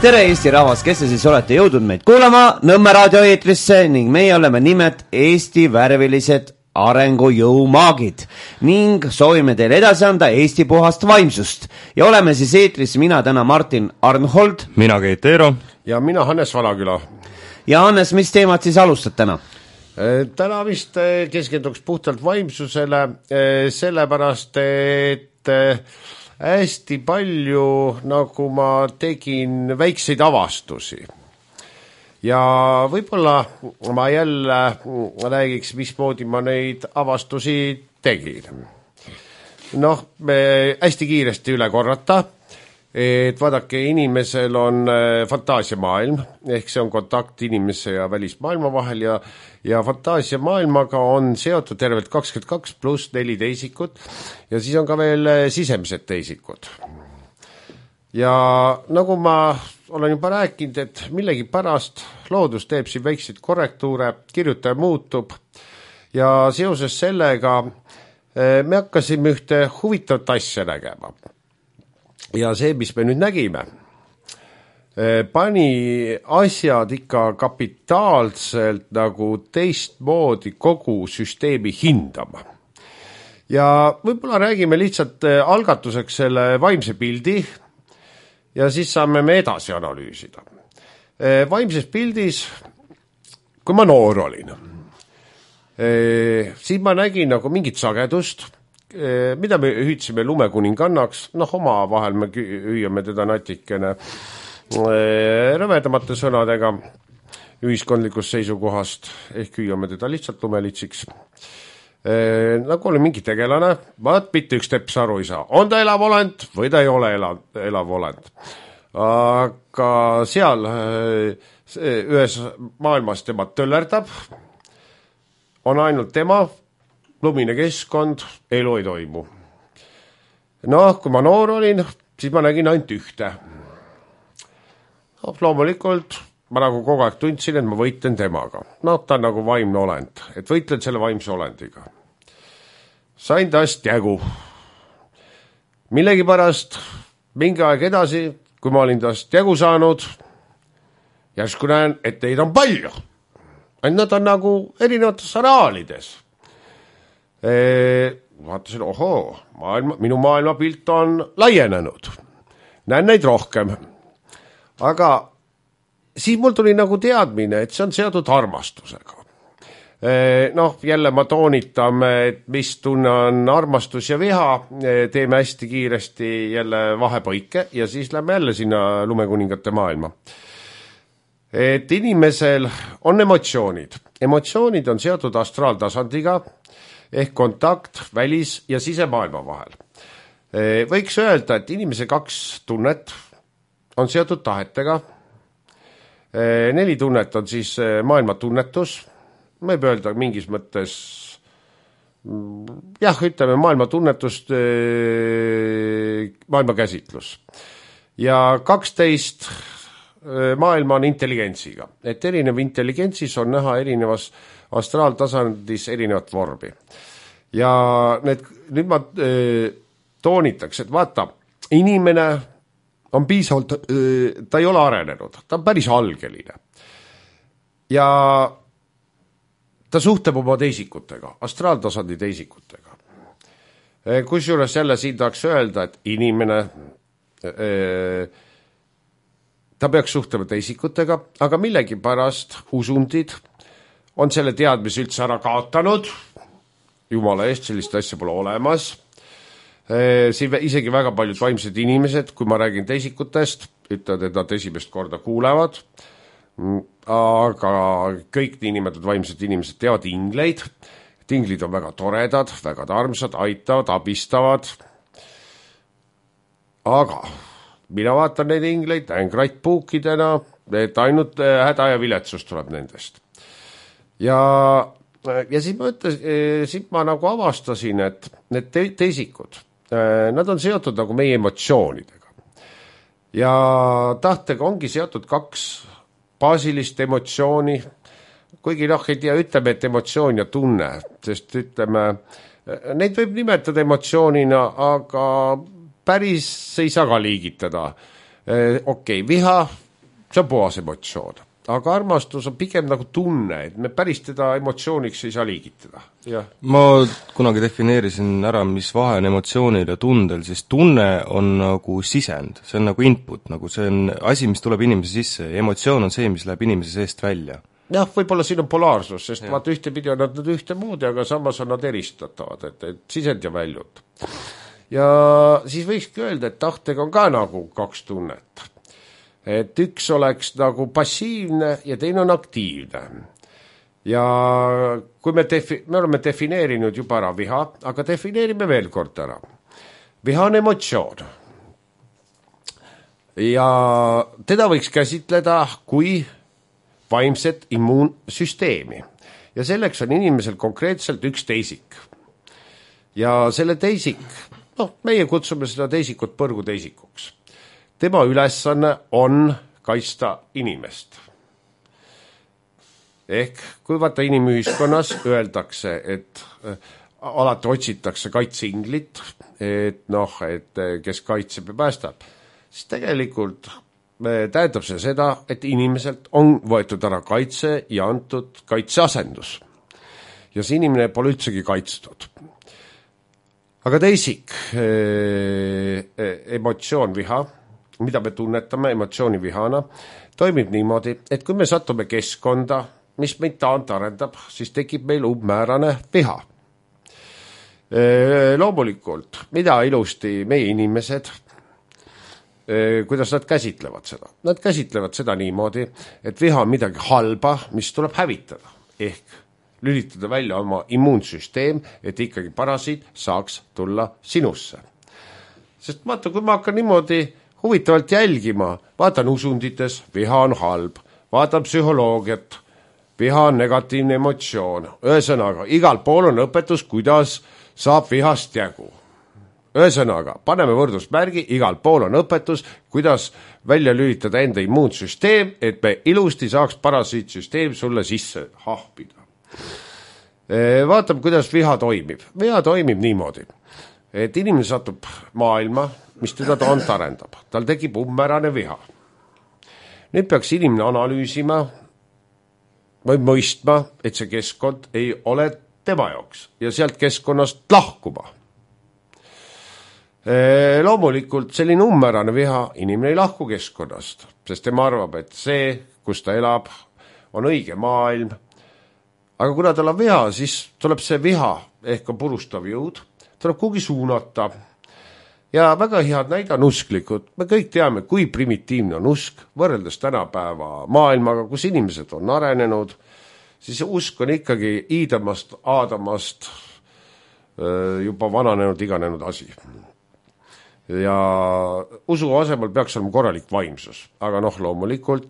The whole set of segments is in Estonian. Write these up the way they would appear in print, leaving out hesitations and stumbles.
Tere Eesti rahvas, kes te siis olete jõudnud meid kuulama Nõmme raadio eetrisse ning meie oleme nimed Eesti värvilised arengujõumaagid ning soovime teile edasi anda Eesti puhast vaimsust. Ja oleme siis eetris mina täna Martin Arnhold, mina Keit Eero ja mina Hannes Valaküla. Ja Hannes, mis teemat siis alustad täna? Täna vist keskenduks puhtalt vaimsusele, sellepärast, et hästi palju, nagu ma tegin väikseid avastusi. Ja võib-olla ma jälle räägiks, mismoodi ma neid avastusi tegin. Hästi kiiresti üle korrata, et vaadake, inimesel on fantaasiamaailm, ehk see on kontakt inimese ja välismaailma vahel ja fantaasiamaailmaga on seotud tervelt 22 pluss 4 teisikut ja siis on ka veel sisemised teisikud. Ja nagu ma olen juba rääkinud, et millegi pärast loodus teeb siin väikseid korrektuure, kirjutaja muutub ja seoses sellega me hakkasime ühte huvitavat asja nägema. Ja see, mis me nüüd nägime, pani asjad ikka kapitaalselt nagu teistmoodi kogu süsteemi hindama. Ja võib-olla räägime lihtsalt algatuseks selle vaimse pildi ja siis saame me edasi analüüsida. Vaimses pildis, kui ma noor olin, siis ma nägin nagu mingit sagedust, mida me hüüdsime lumekuningannaks, oma vahel me hüüame teda natikene rõvedamate sõnadega ühiskondlikust seisukohast, ehk hüüame teda lihtsalt lumelitsiks. Nagu oli mingi tegelane, vaat mitte üks teps aru ei saa, on ta elav olend või ta ei ole elav olend. Aga seal ühes maailmas tema töllerdab, on ainult tema, lumine keskkond, elu ei toimu. Kui ma noor olin, siis ma nägin ainult ühte. Loomulikult ma nagu kogu aeg tundsin, et ma võitlen temaga. Ta on nagu vaimne olend, et võitlen selle vaimse olendiga. Sain tast jägu. Millegipärast mingi aeg edasi, kui ma olin tast jägu saanud, järsku näen, et neid on palju. Nad on nagu erinevates areaalides. Vaatasin, minu maailmapilt on laienenud. Näen neid rohkem. Aga siis mul tuli nagu teadmine, et see on seotud armastusega. Jälle ma toonitame, et mis tunne on armastus ja viha, teeme hästi kiiresti jälle vahepõike ja siis lähme jälle sinna lumekuningate maailma. Et inimesel on emotsioonid. Emotsioonid on seotud astraaltasandiga, ehk kontakt välis- ja sisemaailma vahel. Võiks öelda, et inimese 2 tunnet on seotud tahetega. 4 tunnet on siis maailma tunnetus. Võib öelda mingis mõttes, ütleme maailma tunnetust, maailma käsitlus. Ja 12 maailma on intelligentsiga. Et erinev intelligentsis on näha erinevas astraaltasandis erinevat vormi. Ja nüüd ma toonitaks, et vaata, inimene on piisavalt, ta ei ole arenenud, ta on päris algeline. Ja ta suhtleb oma teisikutega, astraaltasandi teisikutega. Kusjuures jälle siin tahaks öelda, et inimene, ta peaks suhtlema teisikutega, aga millegipärast usundid on selle teadmise üldse ära kaotanud, jumala eest, sellist asja pole olemas. Siin isegi väga paljud vaimsed inimesed, kui ma räägin teisikutest, ütlevad, et nad esimest korda kuulevad, aga kõik niinimetatud vaimsed inimesed teavad ingleid. Inglid on väga toredad, väga tarmsad, aitavad, abistavad. Aga mina vaatan neid ingleid, näen krattpuukidena, et ainult häda ja viletsus tuleb nendest. Ja siis ma nagu avastasin, et need teisikud, nad on seotud nagu meie emotsioonidega. Ja tahtega ongi seotud 2 baasilist emotsiooni, kuigi ei tea, ütleme, et emotsioon ja tunne, sest ütleme, neid võib nimetada emotsioonina, aga päris ei saa ka liigitada. Okei, viha see on puhas emotsioon. Aga armastus on pigem nagu tunne, et me päris teda emotsiooniks ei saa liigitada. Ja. Ma kunagi defineerisin ära, mis vahe on emotsioonil ja tundel, siis tunne on nagu sisend, see on nagu input, nagu see on asi, mis tuleb inimese sisse ja emotsioon on see, mis läheb inimese seest välja. Jah, võib-olla siin on polaarsus, sest vaata ühtepidi on nad ühte moodi, aga samas on nad eristatavad, et sisend ja väljud. Ja siis võikski öelda, et tahtega on ka nagu kaks tunnet. Et üks oleks nagu passiivne ja teine on aktiivne. Ja kui me oleme defineerinud juba ära viha, aga defineerime veel kord ära. Viha on emotsioon. Ja teda võiks käsitleda kui vaimset immuunsüsteemi. Ja selleks on inimesel konkreetselt üks teisik. Ja selle teisik, meie kutsume seda teisikut põrguteisikuks. Tema ülesanne on kaitsta inimest. Ehk kui vaata inimühiskonnas öeldakse, et alati otsitakse kaitseinglit, et kes kaitseb ja päästab, siis tegelikult tähendab see seda, et inimeselt on võetud ära kaitse ja antud kaitseasendus. Ja see inimene pole üldsegi kaitstud. Aga teisik, emotsioon viha, mida me tunnetame emotsiooni vihana, toimib niimoodi, et kui me satume keskkonda, mis meid arendab, siis tekib meil umbmäärane viha. Loomulikult, mida ilusti meie inimesed, kuidas nad käsitlevad seda? Nad käsitlevad seda niimoodi, et viha on midagi halba, mis tuleb hävitada, ehk lülitada välja oma immuunsüsteem, et ikkagi parasiit saaks tulla sinusse. Sest vaata, kui ma hakkan niimoodi huvitavalt jälgima, vaatan usundites, viha on halb, vaatan psühholoogiat, viha on negatiivne emotsioon. Ühesõnaga, igal pool on õpetus, kuidas saab vihast jagu. Ühesõnaga, paneme võrdusmärgi, igal pool on õpetus, kuidas välja lülitada enda immuunsüsteem, et me ilusti saaks parasiitsüsteem sulle sisse hahpida. Vaatame, kuidas viha toimib. Viha toimib niimoodi, et inimene satub maailma, mis teda arendab. Tal tekib umbmärane viha. Nüüd peaks inimene analüüsima või mõistma, et see keskkond ei ole tema jaoks ja sealt keskkonnast lahkuma. Loomulikult selline umbmärane viha inimene ei lahku keskkonnast, sest tema arvab, et see, kus ta elab, on õige maailm. Aga kuna tal on viha, siis tuleb see viha ehk on purustav jõud, tuleb kuhugi suunata. Ja väga head näide on usklikud. Me kõik teame, kui primitiivne on usk, võrreldes tänapäeva maailmaga, kus inimesed on arenenud, siis usk on ikkagi Iidamast, Aadamast juba vananenud, iganenud asi. Ja usu asemel peaks olema korralik vaimsus, aga loomulikult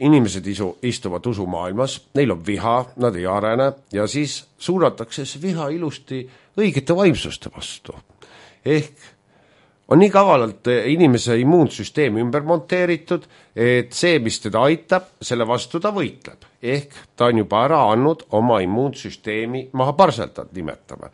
inimesed istuvad usumaailmas, neil on viha, nad ei arene ja siis suunatakse see viha ilusti õigete vaimsuste vastu. Ehk on nii kavalalt inimese immuunsüsteem ümber monteeritud, et see, mis teda aitab, selle vastu ta võitleb. Ehk ta on juba ära andnud oma immuunsüsteemi maha parseltad, nimetame.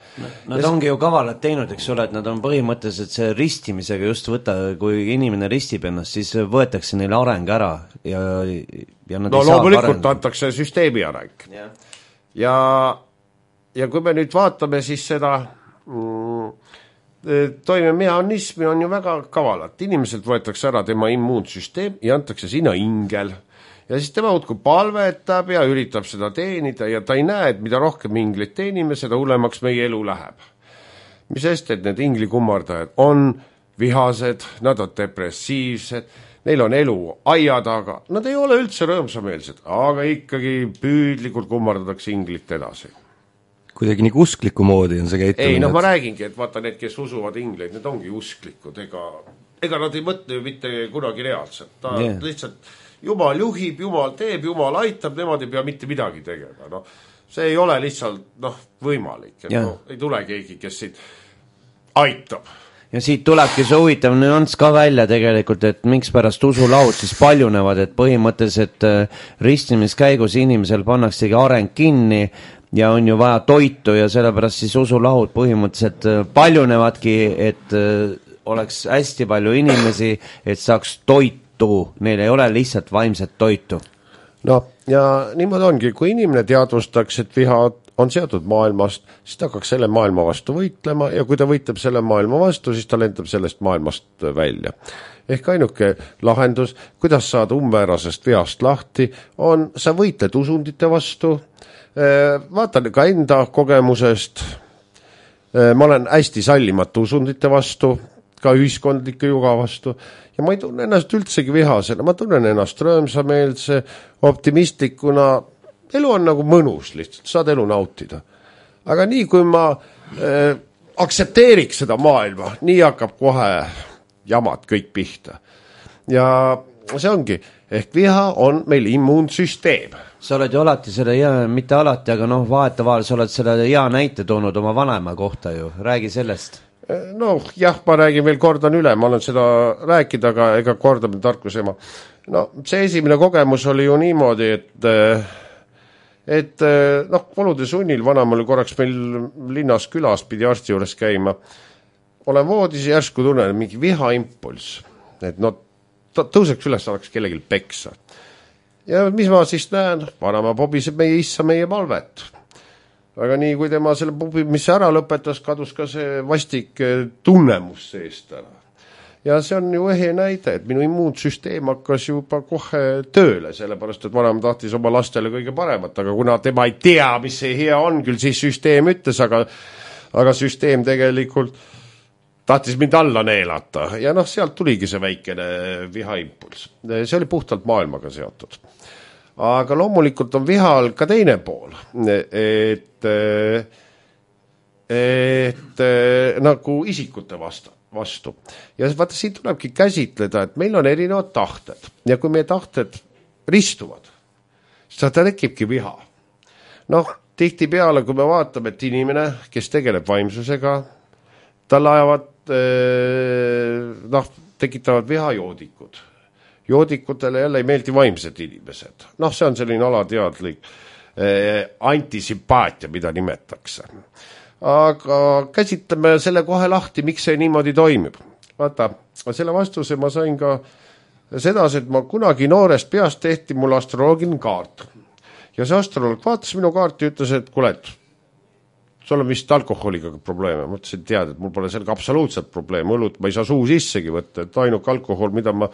Nad ongi ju kavalad teinud, eks ole, et nad on põhimõtteliselt see ristimisega just kui inimene ristib ennast, siis võetakse neile areng ära ja nad ei saa loomulikult antakse süsteemi areng. Ja kui me nüüd vaatame siis seda toimemehhanismi on ju väga kavalat. Inimeselt võetakse ära tema immuunsüsteem ja antakse sinna ingel. Ja siis tema udku palvetab ja üritab seda teenida ja ta ei näe, et mida rohkem inglit teenime, seda hullemaks meie elu läheb. Mis sest, et need inglikummardajad on vihased, nad on depressiivsed, neil on elu aia taga, nad ei ole üldse rõõmsameelsed, aga ikkagi püüdlikult kummardatakse inglit edasi. Kuidagi nii uskliku moodi on see käitumine. Ei, ma räägingi, et vaata need, kes usuvad ingleid, need ongi usklikud, ega nad ei mõtle ju mitte kunagi reaalselt. Ta lihtsalt Jumal juhib, Jumal teeb, Jumal aitab, nemad ei pea mitte midagi tegema. See ei ole lihtsalt võimalik, et ei tule keegi, kes siit aitab. Ja siit tulebki see huvitav nüanss ka välja tegelikult, et miks pärast usulahud siis paljunevad, et põhimõtteliselt ristimiskäigus inimesel pannaksegi areng kinni ja on ju vaja toitu ja sellepärast siis usulahud põhimõtteliselt paljunevadki, et oleks hästi palju inimesi, et saaks toitu tõttu neil ei ole lihtsalt vaimset toitu. No ja niimoodi ongi, kui inimene teadvustaks, et viha on seotud maailmast, siis ta hakkaks selle maailma vastu võitlema ja kui ta võitleb selle maailma vastu, siis ta lendab sellest maailmast välja. Ehk ainuke lahendus, kuidas saada umbmäärasest vihast lahti, on, sa võitled usundite vastu, vaatan ka enda kogemusest, ma olen hästi sallimatu usundite vastu, ka ühiskondlike juga vastu ja ma ei tunne ennast üldsegi vihasena, ma tunnen ennast rõõmsameelse, optimistlikuna, elu on nagu mõnus lihtsalt, saad elu nautida. Aga nii kui ma aktsepteeriks seda maailma, nii hakkab kohe jamad kõik pihta. Ja see ongi, ehk viha on meil immuunsüsteem. Sa oled ju alati selle mitte alati, aga vahetavaal sa oled selle hea näite toonud oma vanema kohta ju, räägi sellest. No jah, ma räägin veel, kordan üle, ma olen seda rääkida, aga ega kordamine tarkus ema. No see esimene kogemus oli ju niimoodi, et olude sunnil vanam oli korraks meil linnas külas, pidi arsti juures käima. Olen voodis ja järsku tunnen mingi vihaimpuls, et tõuseks üles, oleks kellelgi peksa. Ja mis ma siis näen? Vanama pobiseb meie issa meie palvet. Aga nii, kui tema selle pubimisse ära lõpetas, kadus ka see vastik tunnemus seest ära. Ja see on ju ehe näide, et minu immuunsüsteem hakkas juba kohe tööle, sellepärast, et vanem tahtis oma lastele kõige paremat, aga kuna tema ei tea, mis see hea on, küll siis süsteem ütles, aga süsteem tegelikult tahtis mind alla neelata. Ja sealt tuligi see väikene vihaimpuls. See oli puhtalt maailmaga seotud. Aga loomulikult on vihal ka teine pool, et nagu isikute vastu. Ja vaata, siin tulebki käsitleda, et meil on erinevad tahted ja kui meie tahted ristuvad, siis ta tekibki viha. Tihtipeale, kui me vaatame, et inimene, kes tegeleb vaimsusega, tal ajavad, tekitavad vihajoodikud. Joodikutele jälle ei meeldi vaimsed inimesed. See on selline alateadlik antisümpaatia, mida nimetakse. Aga käsitleme selle kohe lahti, miks see niimoodi toimib. Vaata, selle vastuse ma sain ka sedasi, et ma kunagi noorest peast tehti mul astroloogiline kaart. Ja see astroloog vaatas minu kaarti ja ütles, et kuule, sul on vist alkoholiga probleeme. Ma ütlesin, tead, et mul pole sellega absoluutselt probleem. Õlut ma ei saa suu sissegi võtta, et ainuke alkohol, mida ma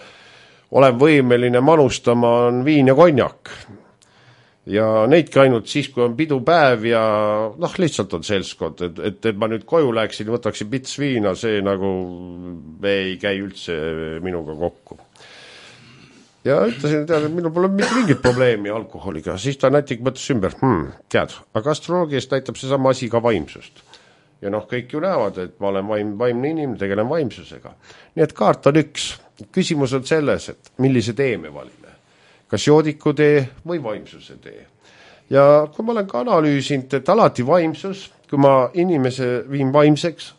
olen võimeline manustama, on viin ja konjak. Ja neidki ainult siis, kui on pidupäev ja lihtsalt on seltskond, et ma nüüd koju läheksin, võtaksin pits viina, see nagu ei käi üldse minuga kokku. Ja ütlesin, tead, et minul pole mingit probleemi alkoholiga, siis ta nätik mõttes ümber, tead, aga astroloogiast näitab see sama asi ka vaimsust. Ja kõik ju näevad, et ma olen vaimne inimene, tegelen vaimsusega. Nii et kaart on üks. Küsimus on selles, et millise tee me valime. Kas joodiku tee või vaimsuse tee. Ja kui ma olen ka analüüsinud, et alati vaimsus, kui ma inimese viin vaimseks,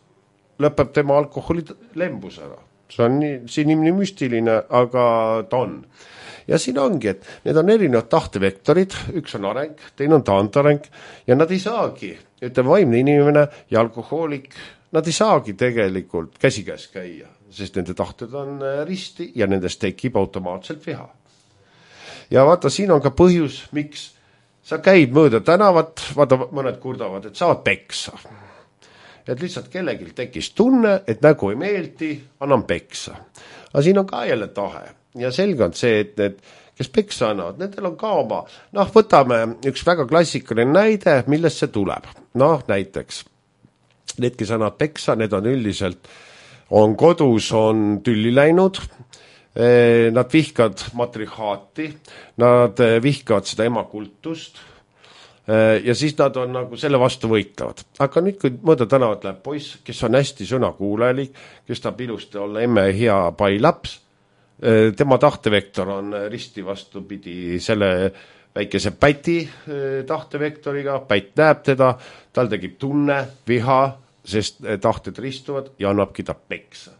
lõpeb tema alkoholi lembus ära. See on nii müstiline, aga ta on. Ja siin ongi, et need on erinevad tahtevektorid, üks on areng, teine on taantareng ja nad ei saagi, vaimne inimene ja alkohoolik, nad ei saagi tegelikult käsikäes käia, sest nende tahted on risti ja nendest tekib automaatselt viha. Ja vaata, siin on ka põhjus, miks sa käid mööda tänavat, vaata, mõned kurdavad, et saavad peksa. Et lihtsalt kellelgi tekkis tunne, et nägu ei meeldi, annan peksa. Aga siin on ka jälle tahe. Ja selge on see, et kes peksa annavad, nendel on ka oma. Võtame üks väga klassikaline näide, millest see tuleb. Näiteks, need, kes annavad peksa, need on üldiselt, on kodus, on tülli läinud, nad vihkavad matrihaati, nad vihkavad seda emakultust ja siis nad on nagu selle vastu võitlevad. Aga nüüd, kui mõõda tänavat läheb poiss, kes on hästi sõnakuulelik, kes tahab ilusti olla emme hea pai laps, tema tahtevektor on risti vastupidi selle väikese päti tahtevektoriga, pätt näeb teda, tal tekib tunne, viha, sest tahted ristuvad ja annabki ta peksa.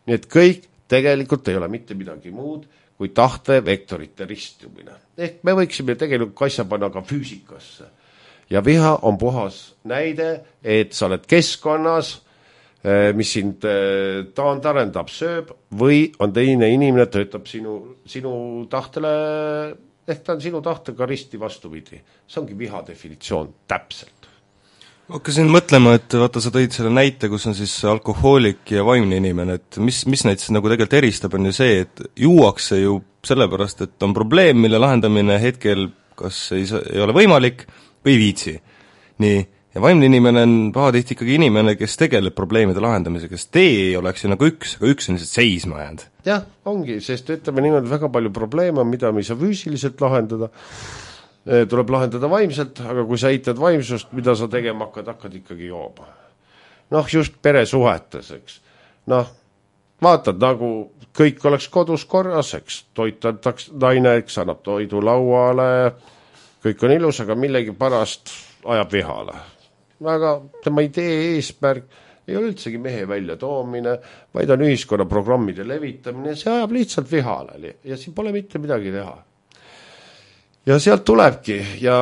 Nii et kõik tegelikult ei ole mitte midagi muud kui tahtevektorite ristumine. Ehk me võiksime tegelikult asja panna ka füüsikasse. Ja viha on puhas näide, et sa oled keskkonnas, mis sind taandarendab, sööb või on teine inimene, töötab sinu tahtele, ehk ta on sinu tahtega risti vastupidi. See ongi viha definitsioon täpselt. Hakkasin mõtlema, et vaata, sa tõid selle näite, kus on siis alkohoolik ja vaimne inimene, et mis neid siis nagu tegelikult eristab, on ju see, et juuakse ju sellepärast, et on probleem, mille lahendamine hetkel kas ei ole võimalik või viitsi. Nii, ja vaimne inimene on pahatihti ikkagi inimene, kes tegeleb probleemide lahendamisega, kes tee ei oleks ju nagu üks, aga üks on lihtsalt seisma jäänud. Jah, ongi, sest ütleme niimoodi väga palju probleeme, mida me ei saa füüsiliselt lahendada, tuleb lahendada vaimselt, aga kui sa eitad vaimsust, mida sa tegema hakkad ikkagi jooba. Noh, just peresuhetes, eks. Noh, vaatad, nagu kõik oleks kodus korras, eks, toitantaks naine, eks, annab toidu lauale, kõik on ilus, aga millegi pärast ajab vihale. Aga tema idee eesmärk ei ole üldsegi mehe välja toomine, vaid on ühiskonna programmide levitamine, see ajab lihtsalt vihale ja siin pole mitte midagi teha. Ja sealt tulebki ja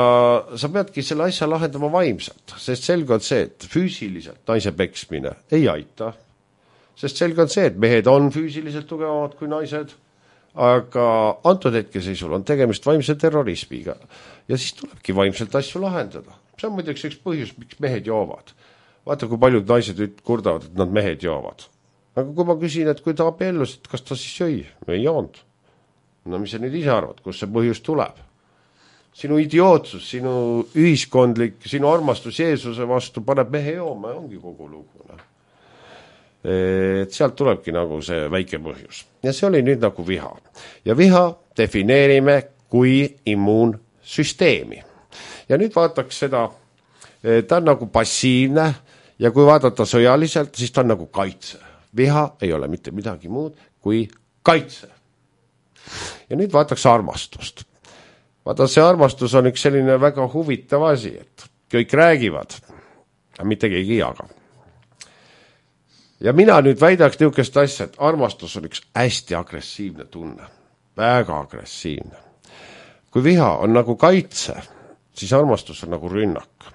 sa peadki selle asja lahendama vaimselt, sest selge on see, et füüsiliselt naise peksmine ei aita, sest selge on see, et mehed on füüsiliselt tugevamad kui naised, aga antud hetkeseisul on tegemist vaimse terrorismiga ja siis tulebki vaimselt asju lahendada. See on muidugi üks põhjus, miks mehed joovad. Vaata, kui paljud naised kurdavad, et nad mehed joovad. Aga kui ma küsin, et kui ta abiellus, et kas ta siis jõi? Ei joonud. No mis sa nüüd ise arvad, kus see põhjus tuleb? Sinu idiootsus, sinu ühiskondlik, sinu armastus Jeesuse vastu paneb mehe jooma ja ongi kogu lugu. Et sealt tulebki nagu see väike põhjus. Ja see oli nüüd nagu viha. Ja viha defineerime kui immuunsüsteemi. Ja nüüd vaataks seda, ta on nagu passiivne ja kui vaadata sõjaliselt, siis ta on nagu kaitse. Viha ei ole mitte midagi muud kui kaitse. Ja nüüd vaataks armastust. Vaata, see armastus on üks selline väga huvitav asi, et kõik räägivad, aga mitte keegi jaga. Ja mina nüüd väidaks niisugust asja, et armastus on üks hästi agressiivne tunne. Väga agressiivne. Kui viha on nagu kaitse, siis armastus on nagu rünnak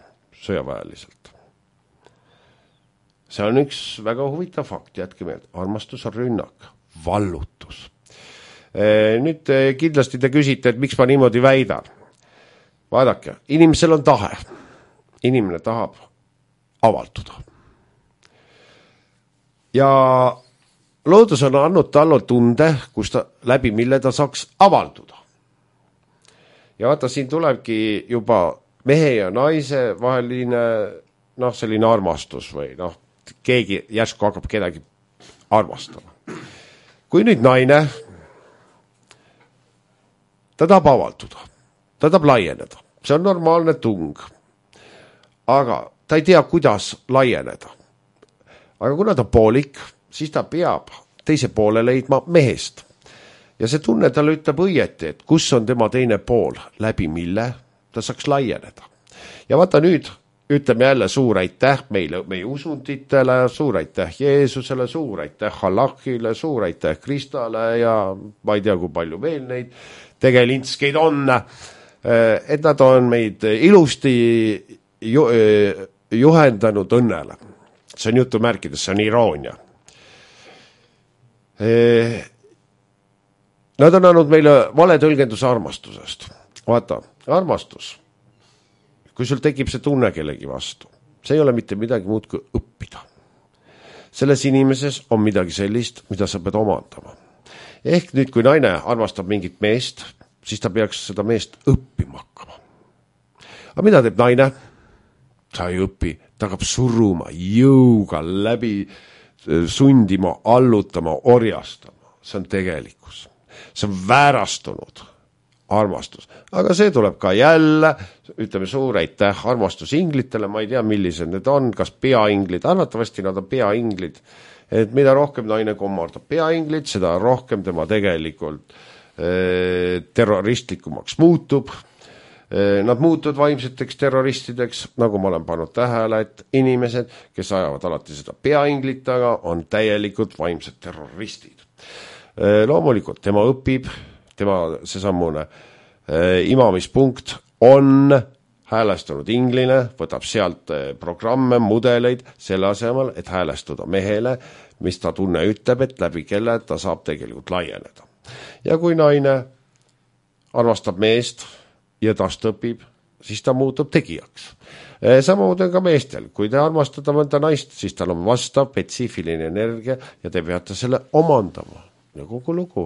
sõjaväeliselt. See on üks väga huvitav fakt, jätke meelde. Armastus on rünnak, vallutus. Nüüd kindlasti te küsite, et miks ma niimoodi väidan. Vaadake, inimesel on tahe. Inimene tahab avalduda. Ja loodus on andnud talle tunde, läbi mille ta saaks avalduda. Ja vaata, siin tulebki juba mehe ja naise vaheline selline armastus või keegi järsku hakkab kedagi armastama. Kui nüüd naine, ta tahab avalduda, ta tahab laieneda, see on normaalne tung, aga ta ei tea, kuidas laieneda. Aga kuna ta poolik, siis ta peab teise poole leidma mehest. Ja see tunne talle ütleb õieti, et kus on tema teine pool, läbi mille ta saaks laieneda. Ja vaata nüüd, ütleme jälle suur aitäh meie usunditele, suur aitäh Jeesusele, suur aitäh Allahile, suur aitäh Kristale ja ma ei tea, kui palju veel neid tegelinskeid on, et nad on meid ilusti juhendanud õnnele. See on jutumärkides, see on iroonia. Nad on andnud meile vale tõlgenduse armastusest. Vaata, armastus, kui sul tekib see tunne kellegi vastu, see ei ole mitte midagi muud kui õppida. Selles inimeses on midagi sellist, mida sa pead omandama. Ehk nüüd, kui naine armastab mingit meest, siis ta peaks seda meest õppima hakkama. Aga mida teeb naine? Ta ei õpi, ta hakkab suruma, jõuga läbi, sundima, allutama, orjastama. See on tegelikkus. See on väärastunud armastus. Aga see tuleb ka jälle, ütleme suur aitäh armastusinglitele, ma ei tea, millised need on, kas peainglid, arvatavasti nad on peainglid, et mida rohkem naine kommardab peainglid, seda rohkem tema tegelikult terroristlikumaks muutub. Nad muutuvad vaimseteks terroristideks, nagu ma olen pannud tähele, et inimesed, kes ajavad alati seda peainglit taga, on täielikult vaimsed terroristid. Loomulikult, tema õpib, tema seesamune imamispunkt on häälestunud ingline, võtab sealt programme, mudeleid selle asemel, et häälestuda mehele, mis ta tunne ütleb, et läbi kelle ta saab tegelikult laieneda. Ja kui naine armastab meest ja tast õpib, siis ta muutub tegijaks. Samamoodi ka meestel, kui te armastada mõnda naist, siis tal on vastav spetsiifiline energia ja te peate selle omandama ja kogu lugu.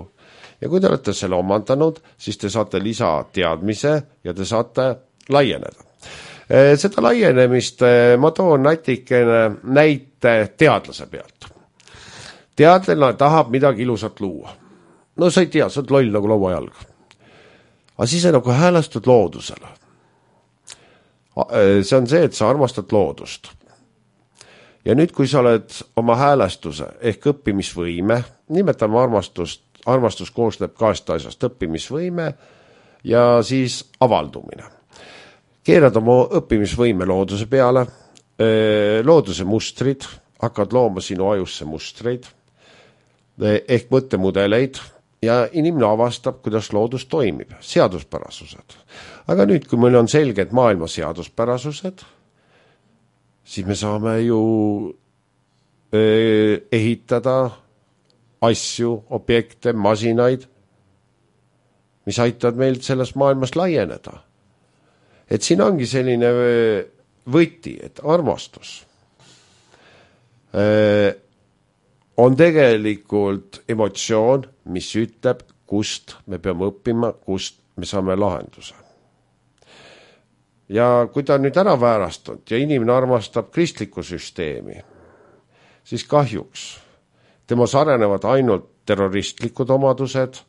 Ja kui te olete selle omandanud, siis te saate lisateadmise ja te saate laieneda. Seda laienemist ma toon näite teadlase pealt. Teadlane tahab midagi ilusat luua. No sa ei tea, sa oled loll nagu lauajalg. Aga siis sa nagu häälestud loodusele. See on see, et sa armastad loodust. Ja nüüd, kui sa oled oma häälestuse ehk õppimisvõime, nimetame armastus koosneb kahest asjast, õppimisvõime ja siis avaldumine. Keerad oma õppimisvõime looduse peale, looduse mustrid, hakkad looma sinu ajusse mustreid ehk mõttemudeleid ja inimene avastab, kuidas loodus toimib, seaduspärasused. Aga nüüd, kui meil on selged maailma seaduspärasused, siis me saame ju ehitada asju, objekte, masinaid, mis aitavad meil selles maailmas laieneda. Et siin ongi selline võti, et armastus on tegelikult emotsioon, mis ütleb, kust me peame õppima, kust me saame lahenduse. Ja kui ta on nüüd ära väärastunud ja inimene armastab kristlikku süsteemi, siis kahjuks temas arenevad ainult terroristlikud omadused,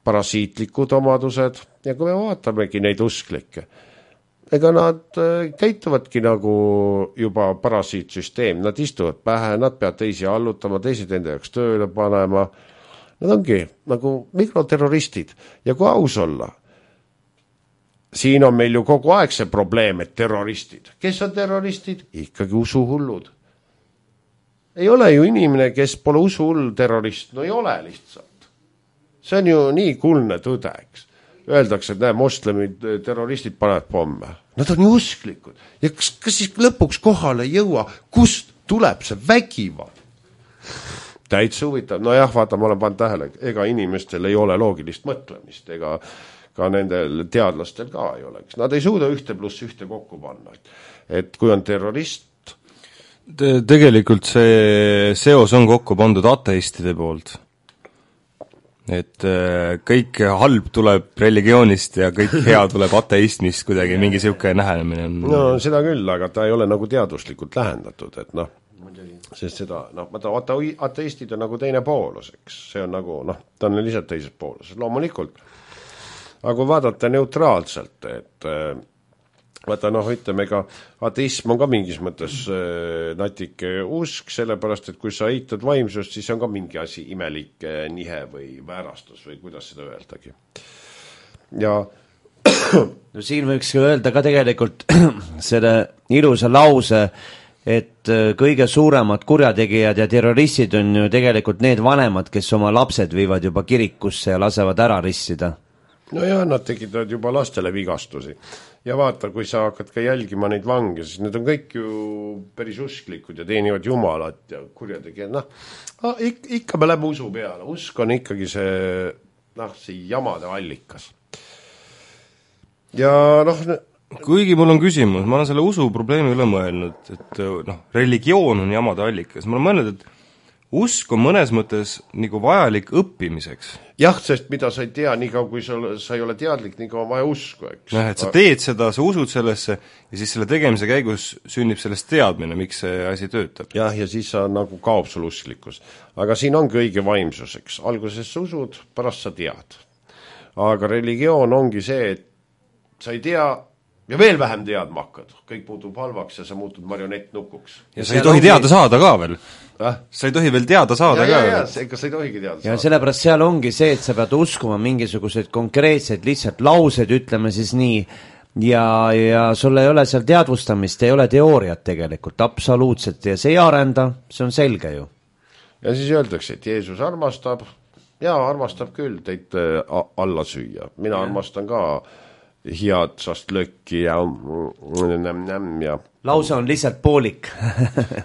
parasiitlikud omadused ja kui me vaatamegi neid usklikke, ega nad käituvadki nagu juba parasiitsüsteem, nad istuvad pähe, nad peavad teisi allutama, teised enda jaoks tööle panema, nad ongi nagu mikroterroristid ja kui aus olla, siin on meil ju kogu aeg see probleem, et terroristid. Kes on terroristid? Ikkagi usuhullud. Ei ole ju inimene, kes pole usuhull terrorist. No ei ole lihtsalt. See on ju nii kuldne tõde, eks. Öeldakse, et moslemid, terroristid panevad pomme. Nad on ju usklikud. Ja kas siis lõpuks kohale ei jõua, kust tuleb see vägivald? Täitsa huvitav. No jah, vaata, ma olen pannud tähele, ega inimestel ei ole loogilist mõtlemist, ega ka nendel teadlastel ka ei oleks. Nad ei suuda 1+1 kokku panna. Et kui on terrorist... Tegelikult see seos on kokku pandud ateistide poolt. Et kõik halb tuleb religioonist ja kõik hea tuleb ateismist kuidagi, mingi siuke nähenemine on. No seda küll, aga ta ei ole nagu teaduslikult lähendatud, et noh, sest seda, vaata, ateistid on nagu teine poolus, eks. See on nagu, ta on lihtsalt teises poolus. Loomulikult. Aga kui vaadata neutraalselt, et vaata, ütleme, ega ateism on ka mingis mõttes natike usk, sellepärast, et kui sa eitad vaimsust, siis on ka mingi asi imelik nihe või väärastus või kuidas seda öeldagi. Ja no siin võiks öelda ka tegelikult selle ilusa lause, et kõige suuremad kurjategijad ja terroristid on ju tegelikult need vanemad, kes oma lapsed viivad juba kirikusse ja lasevad ära rissida. No ja nad tekitavad juba lastele vigastusi. Ja vaata, kui sa hakkad ka jälgima neid vange, siis need on kõik ju päris usklikud ja teenivad jumalat ja kurjategijad. Ikka me lähme usu peale. Usk on ikkagi see jamade allikas. Ja kuigi mul on küsimus, ma olen selle usu probleemi üle mõelnud, et religioon on jamade allikas. Ma olen mõelnud, et usk on mõnes mõttes nagu vajalik õppimiseks. Jah, sest mida sa ei tea, nii kaua kui sa ei ole teadlik, nii kaua vaja usku, eks. Et sa teed seda, sa usud sellesse ja siis selle tegemise käigus sünnib sellest teadmine, miks see asi töötab. Jah, ja siis sa nagu kaob sul usklikkus. Aga siin ongi õige vaimsuseks. Alguses sa usud, pärast sa tead. Aga religioon ongi see, et sa ei tea ja veel vähem teadma hakkad. Kõik muutub halvaks ja sa muutud marionettnukuks. Ja sa ei tohi teada saada ka veel. Sa ei tohi veel teada saada ka. Ega sa ei tohigi teada saada. Ja sellepärast seal ongi see, et sa pead uskuma mingisuguseid konkreetseid lihtsalt laused, ütleme siis nii, ja sul ei ole seal teadvustamist, ei ole teooriat tegelikult, absoluutselt, ja see ei arenda, see on selge ju. Ja siis öeldakse, et Jeesus armastab, ja armastab küll teid alla süüa. Mina armastan ka hiatsast lökki ja lause on lihtsalt poolik.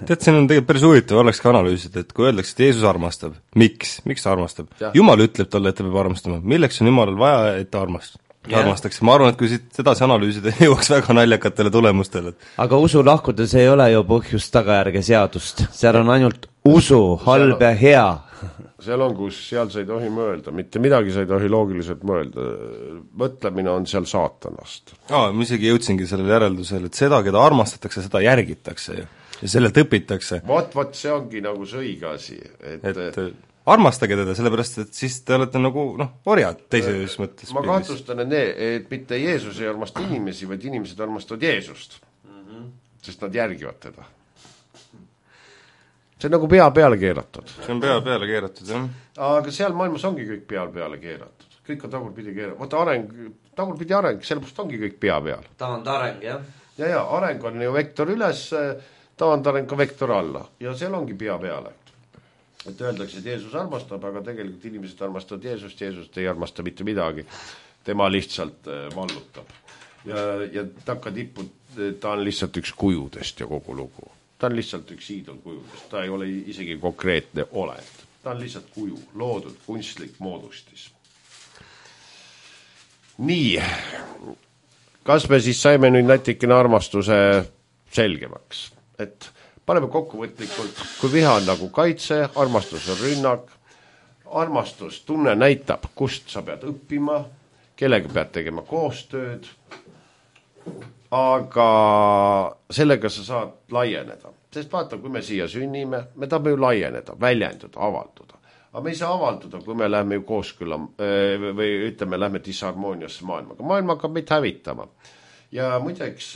Tead, siin on tegelikult päris huvitav, oleks ka analüüsida, et kui öeldakse, et Jeesus armastab, miks ta armastab? Jumal ütleb talle, et ta peab armastama. Milleks on Jumalal vaja, et ta armastaks? Ma arvan, et kui siit edasi analüüsida, jõuaks väga naljakatele tulemustele. Aga usu lahkudes ei ole ju põhjust tagajärge seadust. Seal on ainult usu, halb ja hea. Seal on, kus seal sa ei tohi mõelda, mitte midagi sa ei tohi loogiliselt mõelda. Mõtlemine on seal saatanast. Ma isegi jõudsingi sellele järeldusele, et seda, keda armastatakse, seda järgitakse ja sellelt õpitakse. Vot, see ongi nagu see õige asi. Et armastage teda, sellepärast, et siis te olete nagu, orjad teises mõttes. Ma kahtlustan, et mitte Jeesus ei armasta inimesi, vaid inimesed armastavad Jeesust. Sest nad järgivad teda. See on nagu pea peale keeratud. See on pea peale keeratud, jah. Aga seal maailmas ongi kõik peale keeratud. Kõik on tagurpidi keeratud. Vaata tagurpidi areng, sellepärast ongi kõik pea peal. Taandareng, jah. Ja, areng on ju vektor üles, taandareng ka vektor alla. Ja seal ongi pea peale. Et öeldakse, et Jeesus armastab, aga tegelikult inimesed armastavad Jeesust ei armasta mitte midagi. Tema lihtsalt vallutab. Ja takatipud, ta on lihtsalt üks kujudest ja kogu lugu. Ta on lihtsalt üks iidolkujudest, ta ei ole isegi konkreetne olend. Ta on lihtsalt kuju, loodud, kunstlik moodustis. Nii, kas me siis saime nüüd natikene armastuse selgemaks? Et paneme kokkuvõtlikult, kui viha on nagu kaitse, armastus on rünnak, armastus tunne näitab, kust sa pead õppima, kellega pead tegema koostööd, aga sellega sa saad laieneda. Sest vaata, kui me siia sünnime, me tahame ju laieneda, väljenduda, avalduda. Aga me ei saa avalduda, kui me lähme ju kooskülla või ütleme, lähme disharmooniasse maailmaga. Maailma hakkab meid hävitama. Ja muideks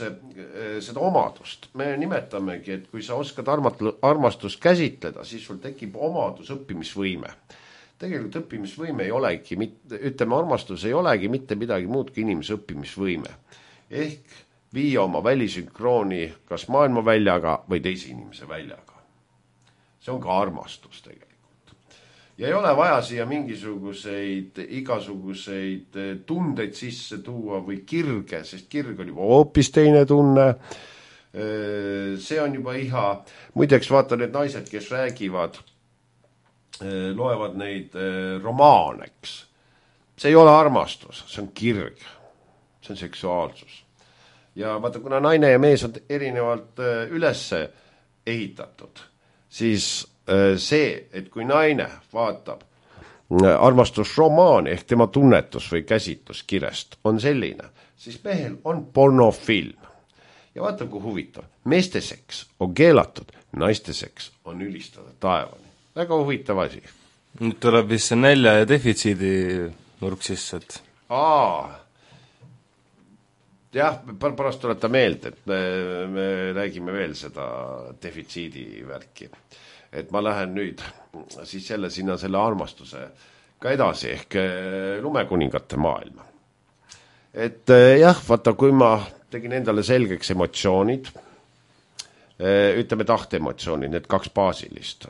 seda omadust me nimetamegi, et kui sa oskad armastust käsitleda, siis sul tekib omadus õppimisvõime. Tegelikult õppimisvõime ei olegi, ütleme, armastus ei olegi mitte midagi muud kui inimese õppimisvõime. Ehk viia oma välisünkrooni kas maailma väljaga või teise inimese väljaga. See on ka armastus tegelikult. Ja ei ole vaja siia igasuguseid tundeid sisse tuua või kirge, sest kirg on juba hoopis teine tunne. See on juba iha. Muideks vaata need naised, kes räägivad, loevad neid romaaneks. See ei ole armastus, see on kirg. See on seksuaalsus. Ja vaata, kuna naine ja mees on erinevalt üles ehitatud, siis see, et kui naine vaatab armastusromaani ehk tema tunnetus või käsitlus kirest on selline, siis mehel on pornofilm. Ja vaata, kui huvitav. Meeste seks on keelatud, naiste seks on ülistada taevani. Väga huvitav asi. Nüüd tuleb vist see nälja ja defitsiidi nurk sisse, et jah, pärast tuleta meelde, et me räägime veel seda defitsiidi värki. Et ma lähen nüüd siis sinna selle armastuse ka edasi ehk lumekuningate maailma. Et jah, vaata, kui ma tegin endale selgeks emotsioonid, ütleme tahteemotsioonid, need 2 baasilist,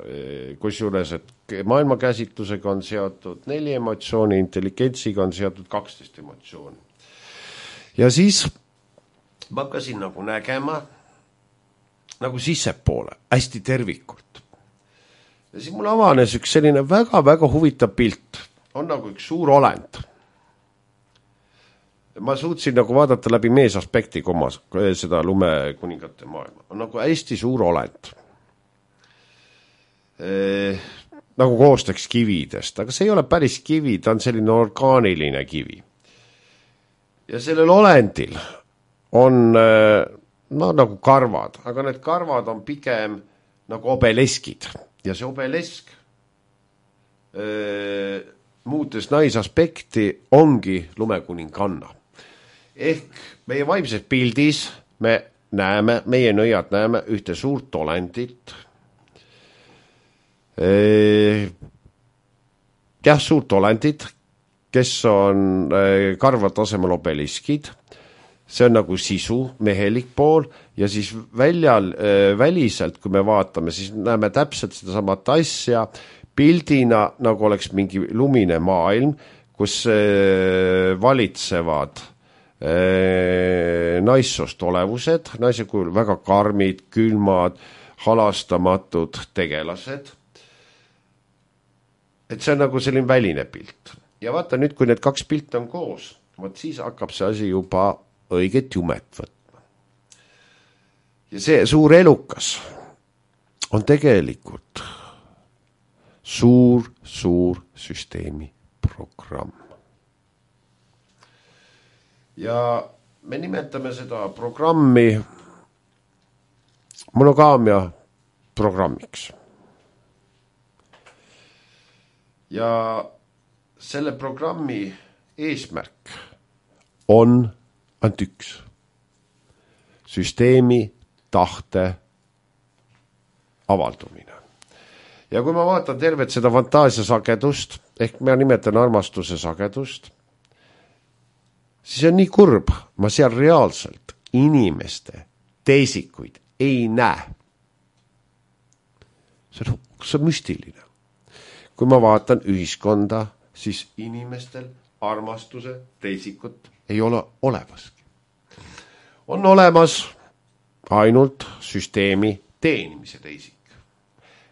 kusjuures, et maailmakäsitlusega on seotud 4 emotsiooni, intelligentsiga on seotud 12 emotsiooni. Ja siis ma hakkasin nagu nägema nagu sissepoole, hästi tervikult. Ja siis mul avanes üks selline väga-väga huvitav pilt. On nagu üks suur olend. Ma suutsin nagu vaadata läbi meesaspekti seda lumekuningate maailma. On nagu hästi suur olend. Nagu koostaks kividest, aga see ei ole päris kivi, ta on selline orgaaniline kivi. Ja sellel olendil on nagu karvad, aga need karvad on pigem nagu obeleskid. Ja see obelesk muutes naisaspekti ongi lumekuninganna. Ehk meie vaimses pildis me näeme, meie nõiad näeme ühte suurt olendit. Suurt olendit, kes on karvad tasemel obeliskid, see on nagu sisu, mehelik pool, ja siis väliselt, kui me vaatame, siis näeme täpselt seda samat asja, pildina nagu oleks mingi lumine maailm, kus valitsevad naissoost olevused, naise kujul väga karmid, külmad, halastamatud tegelased. Et see on nagu selline väline pilt. Ja vaata nüüd, kui need kaks pilte on koos, võt siis hakkab see asi juba õiget jumet võtma. Ja see suur elukas on tegelikult suur süsteemi programm. Ja me nimetame seda programmi monogaamia programmiks. Ja selle programmi eesmärk on ainult üks. Süsteemi tahte avaldumine. Ja kui ma vaatan tervet seda fantaasia sagedust, ehk ma nimetan armastuse sagedust, siis on nii kurb, ma seal reaalselt inimeste teisikuid ei näe. See on müstiline. Kui ma vaatan ühiskonda, siis inimestel armastuse teisikut ei ole olevaski. On olemas ainult süsteemi teenimise teisik.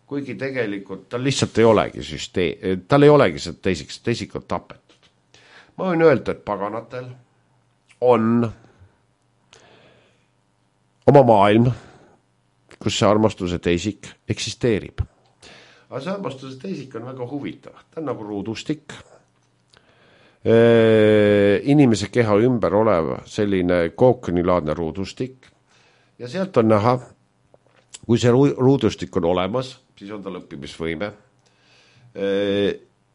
Kuigi tegelikult tal lihtsalt ei olegi tal ei olegi seda teisikut tapetud. Ma võin öelda, et paganatel on oma maailm, kus see armastuse teisik eksisteerib. Aga see armastuse teisik on väga huvitav. Ta on nagu ruudustik. Inimese keha ümber olev selline kookonilaadne ruudustik. Ja sealt on näha, kui see ruudustik on olemas, siis on tal õppimisvõime.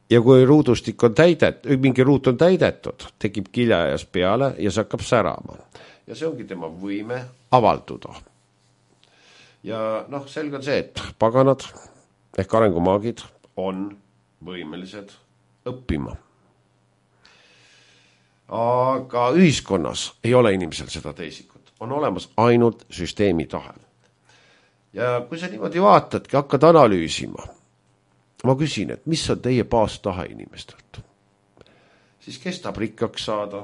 Ja kui ruudustik on mingi ruut on täidetud, tekib kiljajas peale ja see hakkab särama. Ja see ongi tema võime avalduda. Ja selge on see, et paganad ehk arengumaagid on võimelised õppima. Aga ühiskonnas ei ole inimesel seda teisikut. On olemas ainult süsteemi tahe. Ja kui sa niimoodi vaatadki, hakkad analüüsima, ma küsin, et mis on teie baastahe inimestelt? Siis kes tahab rikkaks saada?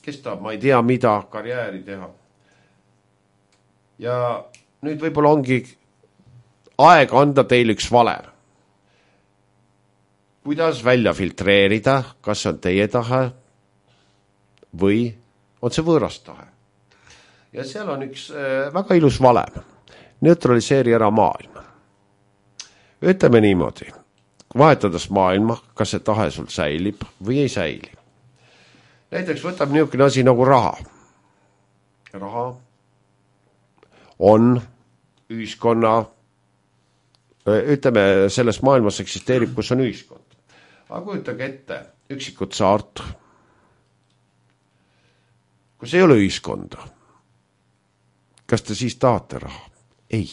Kes tahab, ma ei tea mida, karjääri teha? Ja nüüd võib-olla ongi aeg anda teil üks valem. Kuidas välja filtreerida, kas on teie tahe või on see võõras tahe? Ja seal on üks väga ilus valem. Neutraliseeri ära maailma. Ütleme niimoodi, vahetades maailma, kas see tahe sul säilib või ei säili. Näiteks võtab niisugune asi nagu raha. Raha on ühiskonna, ütleme, selles maailmas eksisteerib, kus on ühiskond. Aga kujutage ette üksikut saart, kus ei ole ühiskonda. Kas te siis tahate raha? Ei.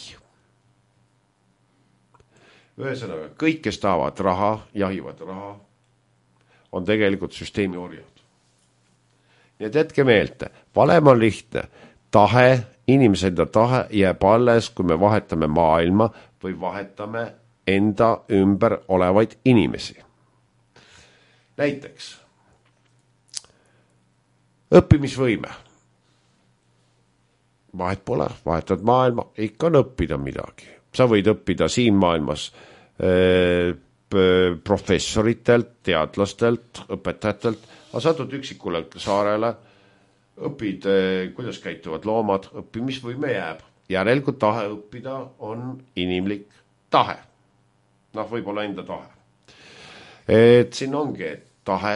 Ühesõnaga, kõik, kes tahavad raha, jahivad raha, on tegelikult süsteemi orjad. Nii et jätke meelde, valem on lihtne. Tahe, inimese enda tahe jääb alles, kui me vahetame maailma või vahetame enda ümber olevaid inimesi. Näiteks, õppimisvõime. Vahet pole, vahetad maailma, ikka on õppida midagi. Sa võid õppida siin maailmas professoritelt, teadlastelt, õpetajatelt, aga satud üksikule saarele, õpid, kuidas käituvad loomad, õppimisvõime jääb. Järelikult tahe õppida on inimlik tahe. Võib-olla enda tahe. Et siin ongi tahe,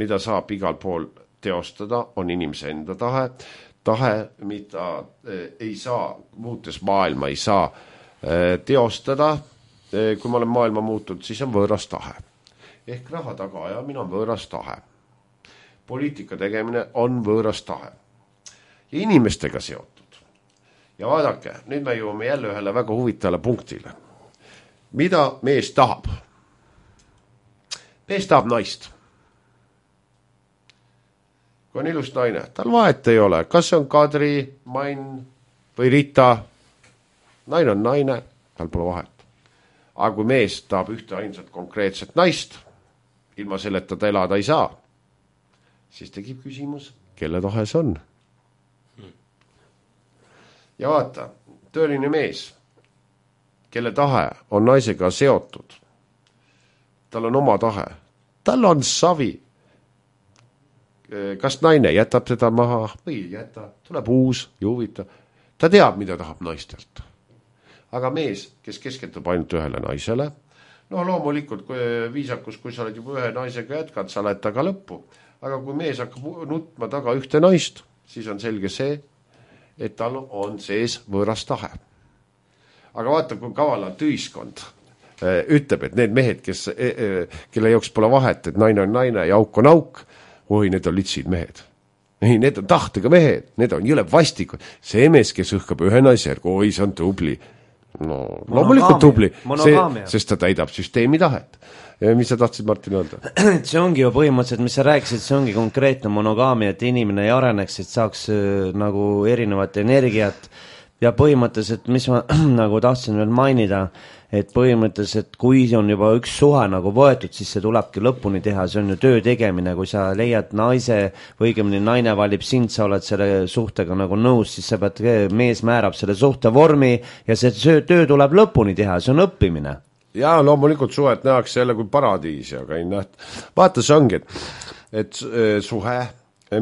mida saab igal pool teostada, on inimese enda tahe. Tahe, mida ei saa, muutes maailma ei saa teostada. Kui ma olen maailma muutunud, siis on võõras tahe. Ehk raha taga ajamine on võõras tahe. Poliitika tegemine on võõras tahe. Ja inimestega seotud. Ja vaadake, nüüd me jõuame jälle ühele väga huvitavale punktile. Mida mees tahab? Mees tahab naist. Kui on ilus naine, tal vahet ei ole, kas see on Kadri, Main või Rita. Naine on naine, tal pole vahet. Aga kui mees tahab ühte ainsat konkreetset naist, ilma selleta ta elada ei saa, siis tekib küsimus, kelle tahe see on. Ja vaata, tööline mees, kelle tahe on naisega seotud, tal on oma tahe, tal on savi. Kas naine jätab teda maha või ei jäta, tuleb uus ja huvitav. Ta teab, mida tahab naistelt. Aga mees, kes keskendub ainult ühele naisele, loomulikult kui viisakus, kui sa oled juba ühe naisega jätkad, sa lähed taga lõppu. Aga kui mees hakkab nutma taga ühte naist, siis on selge see, et tal on sees võõras tahe. Aga vaata, kui kavalalt ühiskond ütleb, et need mehed, kelle jaoks pole vahet, et naine on naine ja auk on auk, oi, need on litsid mehed. Ei, need on tahtega mehed, need on jõle vastikud. See mees, kes õhkab ühe naise järgu, oi, see on tubli. Loomulikult tubli, sest ta täidab süsteemi tahet. Ja mis sa tahtsid, Martin, öelda? See ongi ju põhimõtteliselt, mis sa rääkisid, see ongi konkreetne monogaamia, et inimene ei areneks, et saaks nagu erinevat energiat ja põhimõtteliselt, mis ma nagu tahtsin veel mainida, et põhimõtteliselt, kui on juba üks suhe nagu võetud, siis see tulebki lõpuni teha, see on ju töö tegemine, kui sa leiad naise või õigemini naine valib sind, sa oled selle suhtega nagu nõus, siis sa pead, mees määrab selle suhte vormi ja see töö tuleb lõpuni teha, see on õppimine. Ja loomulikult suhet nähakse jälle kui paradiisi, aga ei näht. Vaata, see ongi, et suhe,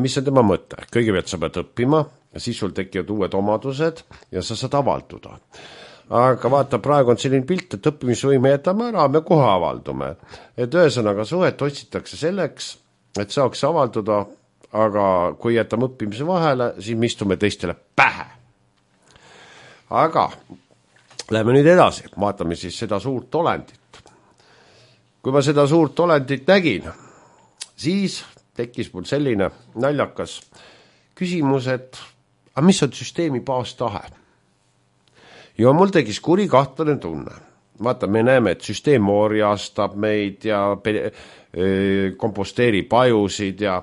mis on tema mõte? Kõigepealt sa pead õppima ja siis sul tekivad uued omadused ja sa saad avalduda. Aga vaata, praegu on selline pilt, et õppimisvõime jätame ära, me kohe avaldume. Et ühesõnaga suhet otsitakse selleks, et saaks avalduda, aga kui jätame õppimise vahele, siis me istume teistele pähe. Aga läheme nüüd edasi, vaatame siis seda suurt olendit. Kui ma seda suurt olendit nägin, siis tekkis mul selline naljakas küsimus, et mis on süsteemi baastahe? Ja mul tegis kuri kahtlane tunne. Vaata, me näeme, et süsteem orjastab meid ja komposteerib ajusid ja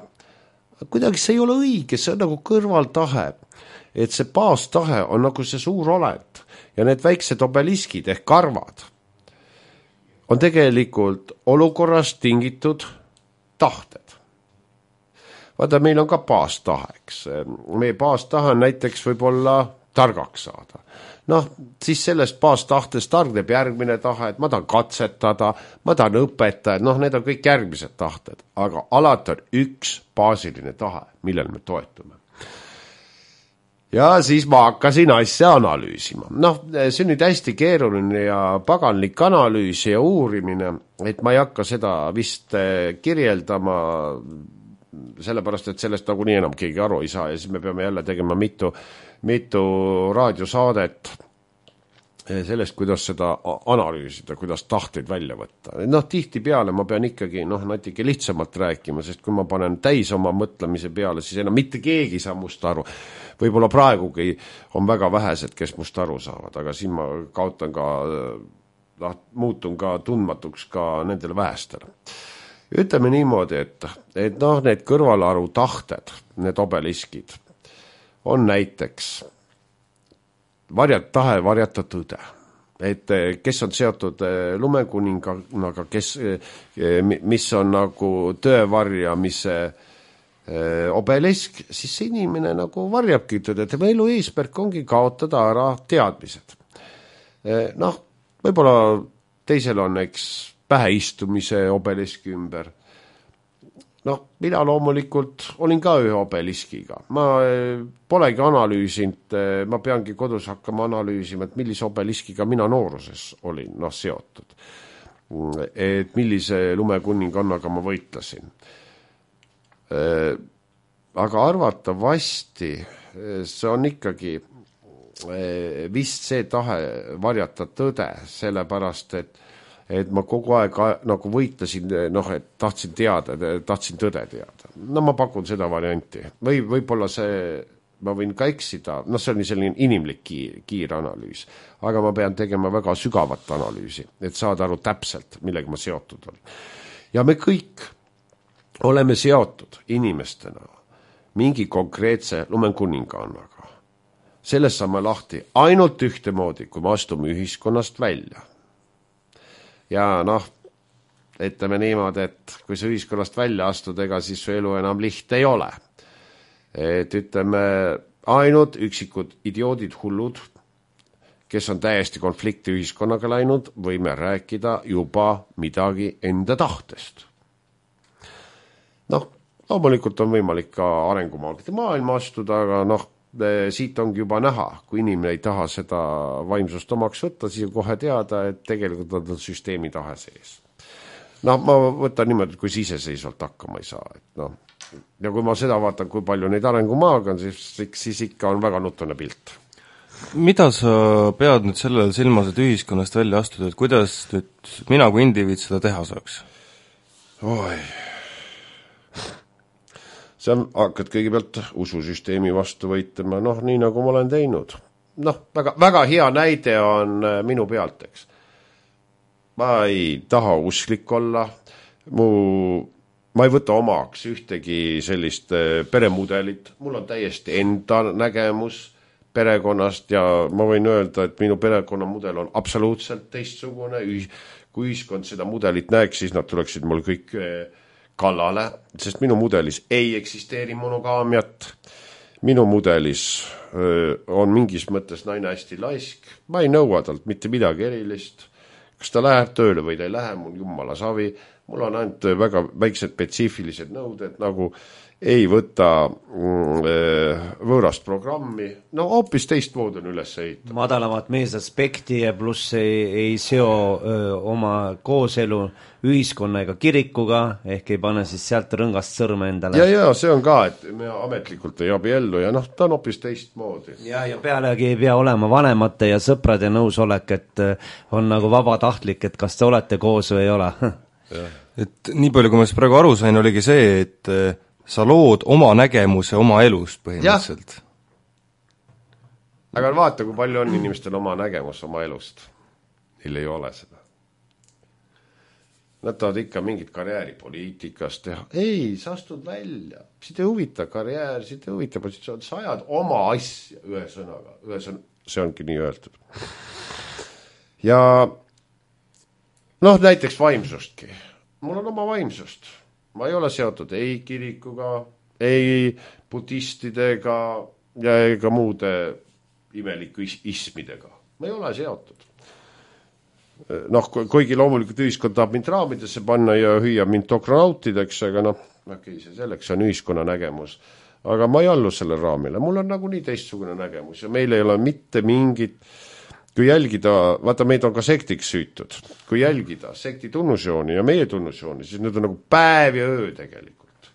kuidagi see ei ole õige, see on nagu kõrvaltahe. Et see baastahe on nagu see suur olend ja need väiksed obeliskid ehk karvad on tegelikult olukorrast tingitud tahted. Vaata, meil on ka baastaheks. Meie baastahe näiteks võib olla targaks saada. Siis sellest baastahtest targneb järgmine tahe, et ma tahan katsetada, ma tahan õpetada, need on kõik järgmised tahted, aga alati on üks baasiline tahe, millel me toetume. Ja siis ma hakkasin asja analüüsima. See on nüüd hästi keeruline ja paganlik analüüs ja uurimine, et ma ei hakka seda vist kirjeldama, sellepärast, et sellest nagu nii enam keegi aru ei saa ja siis me peame jälle tegema mitu raadiosaadet sellest, kuidas seda analüüsida, kuidas tahteid välja võtta. Tihti peale ma pean ikkagi natuke lihtsamalt rääkima, sest kui ma panen täis oma mõtlemise peale, siis enam mitte keegi saa must aru. Võib-olla praegugi on väga vähesed, kes must aru saavad, aga siin ma kaotan ka, muutun ka tundmatuks ka nendele vähestele. Ütleme niimoodi, et need kõrvalaru tahted, need obeliskid, on näiteks tahe varjata tõde. Et kes on seotud lumekuningaga, mis on nagu tõevarjamise obelisk, siis see inimene nagu varjabki tõde. Tema elu eesmärk ongi kaotada ära teadmised. Võib-olla teisel on päheistumise obeliski ümber. Mina loomulikult olin ka ühe obeliskiga. Ma polegi analüüsinud, ma peangi kodus hakkama analüüsima, et millise obeliskiga mina nooruses olin seotud. Et millise lumekuningannaga ma võitlesin. Aga arvatavasti see on ikkagi vist see tahe varjata tõde, sellepärast, et ma kogu aeg nagu võitlesin, et tahtsin tõde teada. Ma pakun seda varianti. Või võib-olla ma võin ka eksida, see on selline inimlik kiir analüüs, aga ma pean tegema väga sügavat analüüsi, et saada aru täpselt, millega ma seotud olen. Ja me kõik oleme seotud inimestena mingi konkreetse lumekuningannaga. Sellest saame lahti ainult ühtemoodi, kui me astume ühiskonnast välja. Ja ütleme niimoodi, et kui sa ühiskonnast välja astud, ega siis su elu enam lihtne ei ole. Et ütleme, ainult üksikud idioodid, hullud, kes on täiesti konflikti ühiskonnaga läinud, võime rääkida juba midagi enda tahtest. Noh, loomulikult on võimalik ka arengumaagide maailma astuda, aga siit ongi juba näha, kui inimene ei taha seda vaimsust omaks võtta, siis kohe teada, et tegelikult on süsteemi tahe sees. Ma võtan niimoodi, kui iseseisvalt hakkama ei saa. Ja kui ma seda vaatan, kui palju neid arengumaaga on, siis ikka on väga nutune pilt. Mida sa pead nüüd sellel silmas, et ühiskonnast välja astuda, et kuidas nüüd mina kui indiviid seda teha saaks? See on, hakkad kõigepealt ususüsteemi vastu võitlema, nii nagu ma olen teinud. Väga, väga hea näide on minu pealt, eks. Ma ei taha usklik olla, ma ei võta omaks ühtegi sellist peremudelit, mul on täiesti enda nägemus perekonnast ja ma võin öelda, et minu perekonnamudel on absoluutselt teistsugune, kui ühiskond seda mudelit näeks, siis nad tuleksid mul kõik kallale, sest minu mudelis ei eksisteeri monogaamiat, minu mudelis on mingis mõttes naine hästi laisk, ma ei nõua talt mitte midagi erilist, kas ta läheb tööle või ta ei lähe, mul jumala savi, mul on ainult väga väiksed spetsiifilised nõuded, nagu ei võta võõrast programmi, hoopis teistmoodi on üles ehitada. Madalamat meesaspekti ja pluss ei seo oma kooselu ühiskonna ega kirikuga, ehk ei pane siis sealt rõngast sõrme endale. Ja see on ka, et me ametlikult ei abiellu ja ta on hoopis teistmoodi. Ja pealegi ei pea olema vanemate ja sõprade nõusolek, et on nagu vabatahtlik, et kas te olete koos või ei ole. Et nii palju, kui ma praegu aru sain, oligi see, et sa lood oma nägemuse oma elust põhimõtteliselt. Aga vaata, kui palju on inimestel oma nägemus oma elust. Neil ei ole seda. Nad tahavad ikka mingit karjääri poliitikast teha. Ei, sa astud välja. Siit ei huvita karjäär, siit ei huvita positsioon. Sa ajad oma asja ühe sõnaga. See ongi nii öeldud. Ja näiteks vaimsustki. Mul on oma vaimsust. Ma ei ole seotud ei kirikuga, ei budistidega ja ega muude imeliku ismidega. Ma ei ole seotud. Kuigi loomulikult ühiskond tahab mind raamidesse panna ja hüüa mind dokronautideks, aga selleks on ühiskonna nägemus. Aga ma ei allu selle raamile. Mul on nagu nii teistsugune nägemus ja meil ei ole mitte mingit. Kui jälgida, vaata meid on ka sektiks süütud, kui jälgida sekti tunnusjooni ja meie tunnusjooni, siis need on nagu päev ja öö tegelikult.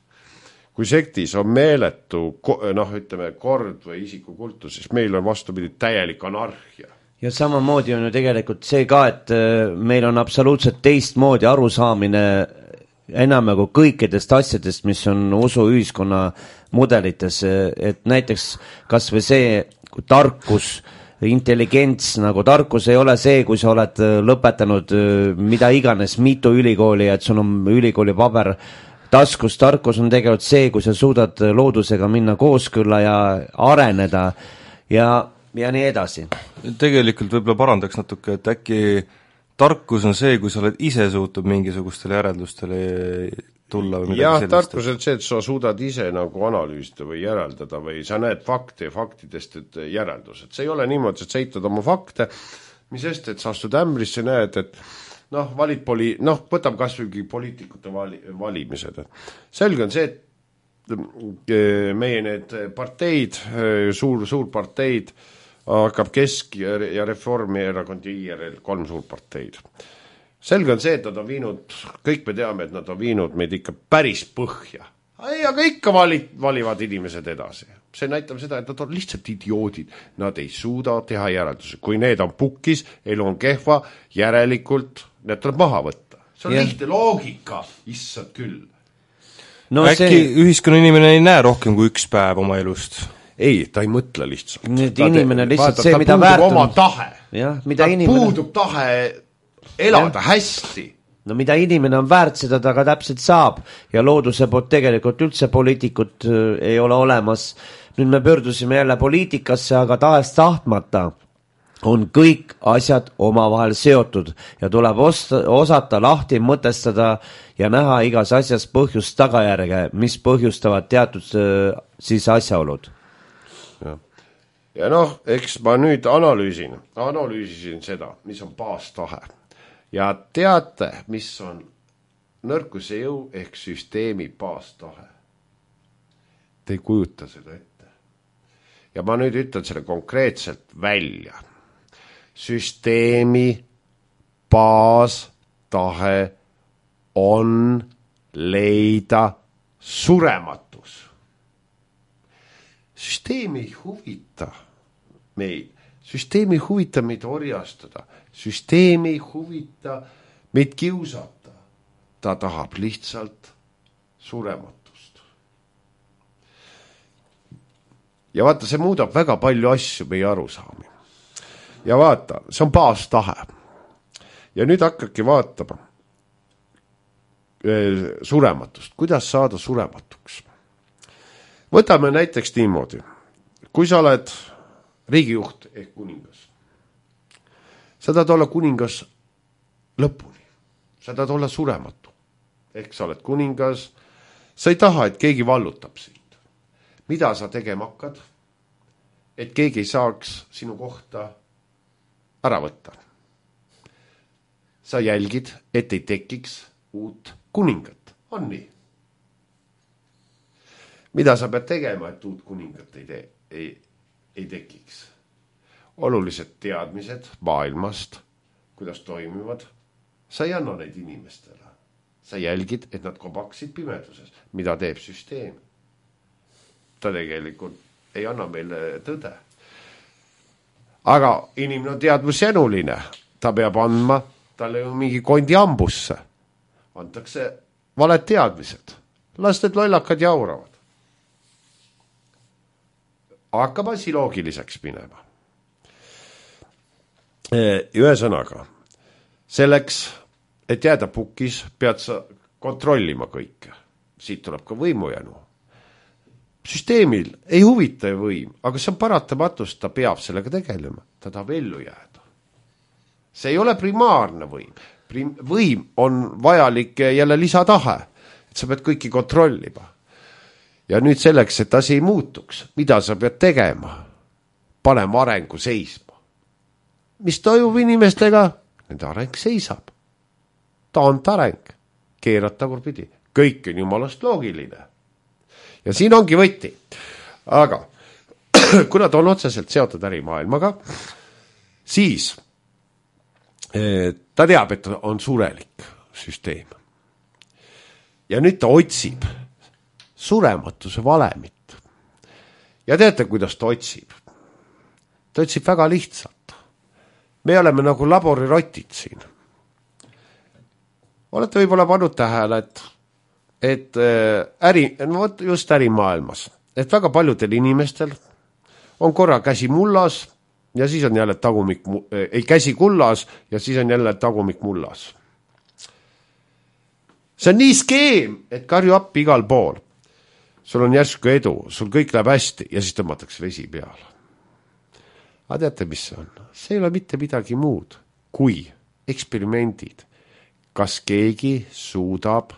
Kui sektis on meeletu, kord või isikukultus, siis meil on vastupidi täielik anarhia. Ja samamoodi on ju tegelikult see ka, et meil on absoluutselt teistmoodi arusaamine enam nagu kõikidest asjadest, mis on usu ühiskonna mudelites, et näiteks kas või see tarkus, intelligents, nagu tarkus ei ole see, kui sa oled lõpetanud mida iganes mitu ülikooli ja et sul on ülikooli paber taskus. Tarkus on tegelikult see, kui sa suudad loodusega minna kooskõlla ja areneda ja nii edasi. Tegelikult võib-olla parandaks natuke, et äkki tarkus on see, kui sa oled ise suutnud mingisugustele järeldustele tulla või midagi sellist. Tarkus on see, et sa suudad ise nagu analüüsida või järeldada või sa näed fakte ja faktidest et järeldused. See ei ole niimoodi, et sa eitad oma fakte, mis sest, et sa astud ämbrisse, näed, et valid võtab kas või poliitikute valimised. Selge on see, et meie need parteid, suur parteid, hakkab Kesk- ja Reformierakond ja IRL, 3 suurparteid. Selge on see, et nad on viinud, kõik me teame, et nad on viinud meid ikka päris põhja. Aga ikka valivad inimesed edasi. See näitab seda, et nad on lihtsalt idioodid. Nad ei suuda teha järelduse. Kui need on pukkis, elu on kehva, järelikult need tuleb maha võtta. See on lihtne loogika, issad küll. Äkki ühiskonna inimene ei näe rohkem kui üks päev oma elust? Ei, ta ei mõtle lihtsalt. Inimene lihtsalt see, mida väärtub. Oma tahe. Ta puudub tahe elada hästi. No mida inimene on väärt, seda ta ka täpselt saab ja looduse poolt tegelikult üldse poliitikut ei ole olemas. Nüüd me pöördusime jälle poliitikasse, aga tahes tahtmata on kõik asjad omavahel seotud ja tuleb osata lahti mõtestada ja näha igas asjas põhjust tagajärge, mis põhjustavad teatud siis asjaolud. Ja noh, eks ma nüüd analüüsisin seda, mis on baastahe. Ja teate, mis on nõrkuse jõu ehk süsteemi baastahe. Te ei kujuta seda ette. Ja ma nüüd ütlen selle konkreetselt välja. Süsteemi baastahe on leida surematus. Süsteemi ei huvita meid. Süsteemi ei huvita meid orjastada. Süsteemi ei huvita meid kiusata. Ta tahab lihtsalt surematust. Ja vaata, see muudab väga palju asju meie arusaami. Ja vaata, see on baastahe. Ja nüüd hakkabki vaatama surematust. Kuidas saada surematuks? Võtame näiteks niimoodi. Kui sa oled riigijuht ehk kuningas, sa tahad olla kuningas lõpuni. Sa tahad olla surematu. Ehk sa oled kuningas, sa ei taha, et keegi vallutab sind. Mida sa tegema hakkad? Et keegi ei saaks sinu kohta ära võtta. Sa jälgid, et ei tekiks uut kuningat. On nii? Mida sa pead tegema, et uut kuningat ei tekiks? Olulised teadmised maailmast, kuidas toimivad. Sa ei anna neid inimestele. Sa jälgid, et nad kobaksid pimeduses. Mida teeb süsteem? Ta tegelikult ei anna meile tõde. Aga inimene on teadmusjänuline. Ta peab andma talle ju mingi kondi ambusse. Antakse valed teadmised. Las need lollakad jauravad. Hakkab asi loogiliseks minema. Ühesõnaga, selleks, et jääda pukis, pead sa kontrollima kõike. Siit tuleb ka võimujänu. Süsteemil ei huvita võim, aga see on paratamatust, ta peab sellega tegelema. Ta tahab ellu jääda. See ei ole primaarne võim. Võim on vajalik jälle lisatahe, et sa pead kõiki kontrollima. Ja nüüd selleks, et asi ei muutuks, mida sa pead tegema? Panema arengu seisma. Mis toimub inimestega? Nende areng seisab. Taantareng. Keerad tagurpidi. Kõik on jumalast loogiline. Ja siin ongi võti. Aga kuna ta on otseselt seotud ärimaailmaga, siis ta teab, et on surelik süsteem. Ja nüüd ta otsib surematuse valemit. Ja teate, kuidas ta otsib? Ta otsib väga lihtsalt. Me oleme nagu laborirotid siin. Olete võib-olla pannud tähele, et just ärimaailmas, et väga paljudel inimestel on korra käsi mullas ja siis on jälle käsi kullas ja siis on jälle tagumik mullas. See on nii skeem, et karju appi igal pool. Sul on järsku edu, sul kõik läheb hästi ja siis tõmmatakse vesi peale. Aga teate, mis see on? See ei ole mitte midagi muud kui eksperimendid. Kas keegi suudab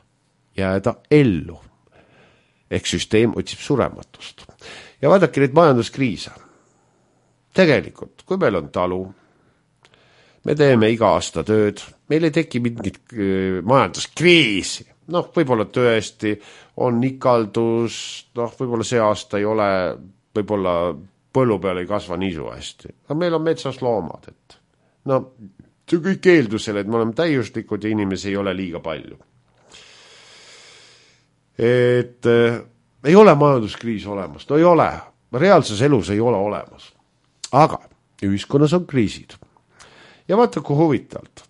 jääda ellu? Ehk süsteem otsib surematust. Ja vaadake neid majanduskriise. Tegelikult, kui meil on talu, me teeme iga aasta tööd, meil ei teki mingit majanduskriisi. Võib-olla tõesti on ikaldus, võib-olla see aasta ei ole, võib-olla põllu peal ei kasva niisu hästi. Aga meil on metsas loomad, et see kõik eeldusel, et me oleme täiuslikud ja inimesi ei ole liiga palju. Et ei ole majanduskriis olemas, ei ole. Reaalses elus ei ole olemas. Aga ühiskonnas on kriisid. Ja vaata, kui huvitavalt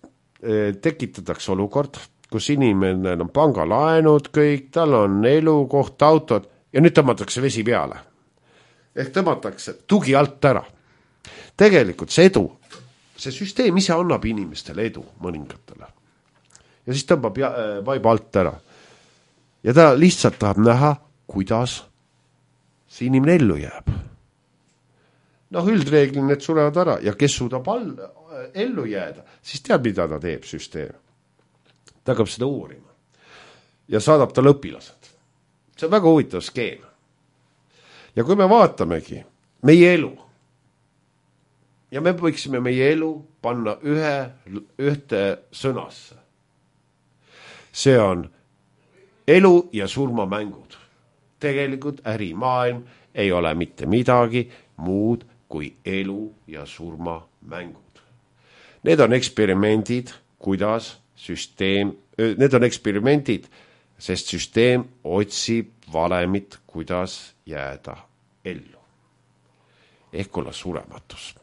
tekitatakse olukord, kus inimene on pangalaenud kõik, tal on elukoht, autod ja nüüd tõmmatakse vesi peale. Ehk tõmmatakse tugi alt ära. Tegelikult see edu, see süsteem ise annab inimestele edu mõningatele. Ja siis tõmbab vaiba alt ära. Ja ta lihtsalt tahab näha, kuidas see inimene ellu jääb. noh, üldreeglil need surevad ära ja kes suudab ellu jääda, siis teab, mida ta teeb süsteem. Ta hakkab seda uurima ja saadab talle õpilased. See on väga huvitav skeem. Ja kui me vaatamegi meie elu ja me võiksime meie elu panna ühte sõnasse. See on elu ja surma mängud. Tegelikult ärimaailm ei ole mitte midagi muud kui elu ja surma mängud. Need on eksperimendid, kuidas süsteem, need on eksperimendid, sest süsteem otsib valemit, kuidas jääda ellu. Ehk olla surematus.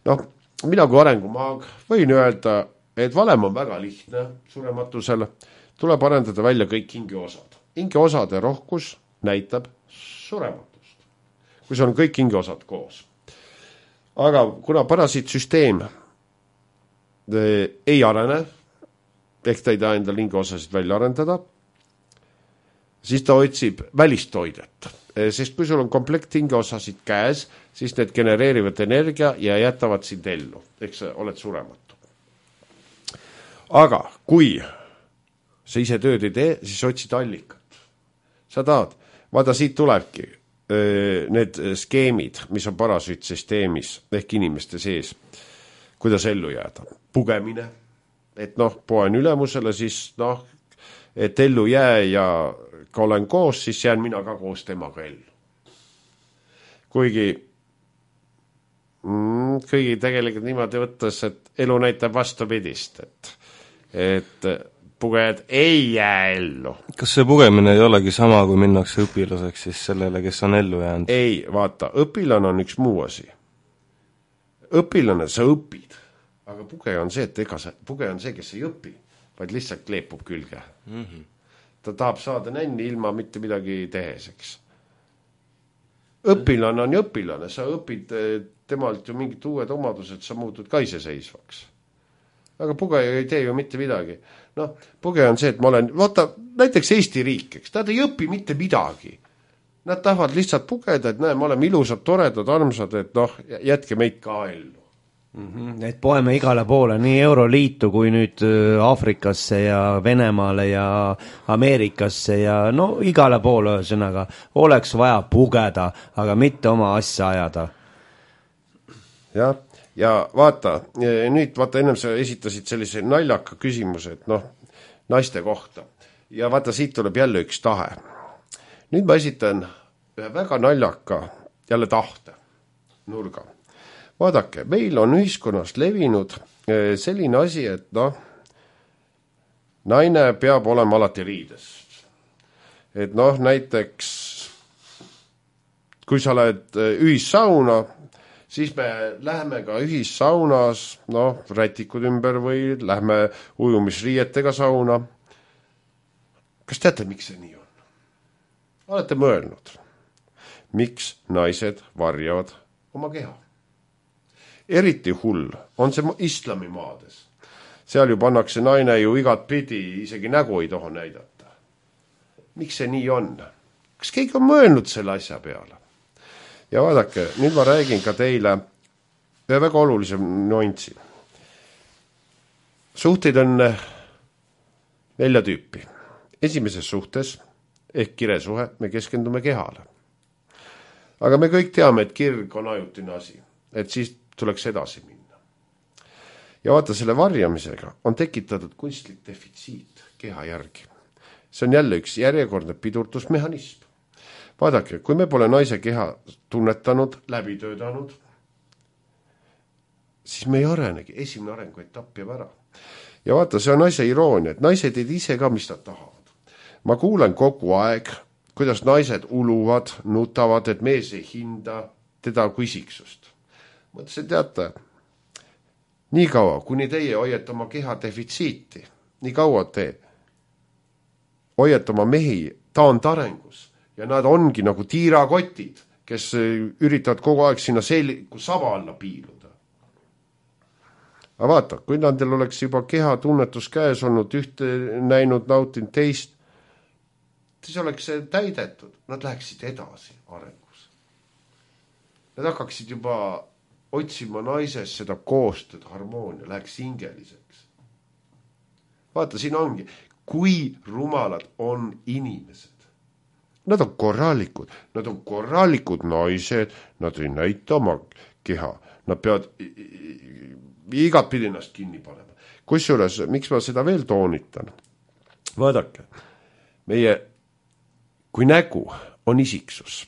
Noh, mina kui arengumaag võin öelda, et valem on väga lihtne surematusele. Tuleb arendada välja kõik hingeosad. Hingeosade rohkus näitab surematust, kui see on kõik hingeosad koos. Aga kuna parasiitsüsteem ei arene, ehk ta ei taha endal hingeosasid välja arendada, siis ta otsib välist toidet. Sest kui sul on komplekt hingeosasid käes, siis need genereerivad energia ja jätavad sind ellu. Eks sa oled surematu. Aga kui sa ise tööd ei tee, siis otsid allikat. Sa tahad, vaata siit tulebki need skeemid, mis on parasüütsüsteemis ehk inimeste sees, kuidas ellu jääda. Pugemine, et noh, poen ülemusele, siis noh, et ellu jää ja kui olen koos, siis jään mina ka koos temaga ellu. Kuigi tegelikult niimoodi võttes, et elu näitab vastupidist, et pugejad ei jää ellu. Kas see pugemine ei olegi sama, kui minnakse õpilaseks siis sellele, kes on ellu jäänud? Ei, vaata, õpilane on üks muu asi. Õpilane, sa õpid, aga pugeja on see, pugeja on see, kes ei õpi, vaid lihtsalt kleepub külge. Ta tahab saada nänni ilma mitte midagi teheseks. Õpilane on ju õpilane, sa õpid temalt ju mingid uued omadused, sa muutud ka iseseisvaks. Aga pugeja ei tee ju mitte midagi. Noh, pugeja on see, et ma olen, vaata, näiteks Eesti riik, eks, nad ei õpi mitte midagi. Nad tahavad lihtsalt pugeda, et näe, me oleme ilusad, toredad, armsad, et noh, jätke meid ka ellu. Et poeme igale poole, nii Euroliitu kui nüüd Aafrikasse ja Venemaale ja Ameerikasse ja no igale poole ühesõnaga oleks vaja pugeda, aga mitte oma asja ajada. Ja vaata, nüüd vaata, ennem sa esitasid sellise naljaka küsimuse, et noh, naiste kohta. Ja vaata, siit tuleb jälle üks tahe. Nüüd ma esitan ühe väga naljaka jälle tahte nurga. Vaadake, meil on ühiskonnas levinud selline asi, et noh, naine peab olema alati riides. Et noh, näiteks kui sa oled ühissauna, siis me läheme ka ühissaunas, noh, rätikud ümber või lähme ujumisriietega sauna. Kas teate, miks see nii on? Olete mõelnud, miks naised varjavad oma keha? Eriti hull on see islamimaades. Seal ju pannakse naine ju igat pidi, isegi nägu ei toha näidata. Miks see nii on? Kas keegi on mõelnud selle asja peale? Ja vaadake, nüüd ma räägin ka teile ühe väga olulise nüanssi. Suhteid on 4 tüüpi. Esimeses suhtes ehk kiresuhe me keskendume kehale. Aga me kõik teame, et kirg on ajutine asi, et siis tuleks edasi minna. Ja vaata, selle varjamisega on tekitatud kunstlik defitsiit keha järgi. See on jälle üks järjekordne pidurdusmehhanism. Vaadake, kui me pole naise keha tunnetanud, läbi töötanud, siis me ei arenegi, esimene arengu etapp jääb ära. Ja vaata, see on asja iroonia, et naised ei ise ka, mis nad tahavad. Ma kuulen kogu aeg, kuidas naised uluvad, nutavad, et mees ei hinda teda kui isiksust. Mõtlesin, teate, nii kaua, kuni teie hoiate oma keha defitsiiti, nii kaua te hoiate oma mehi taandarengus ja nad ongi nagu tiirakotid, kes üritavad kogu aeg sinna saba alla piiluda. Aga vaata, kui nendel oleks juba keha tunnetus käes olnud, ühte näinud, nautinud teist, siis oleks see täidetud, nad läheksid edasi arengus. nad hakkaksid juba otsima naises seda koostööd, harmoonia, läheks hingeliseks. Vaata, siin ongi, kui rumalad on inimesed. Nad on korralikud naised, nad ei näita oma keha, nad peavad igat pidi ennast kinni panema. Kusjuures, miks ma seda veel toonitan? Vaadake, kui nägu on isiksus,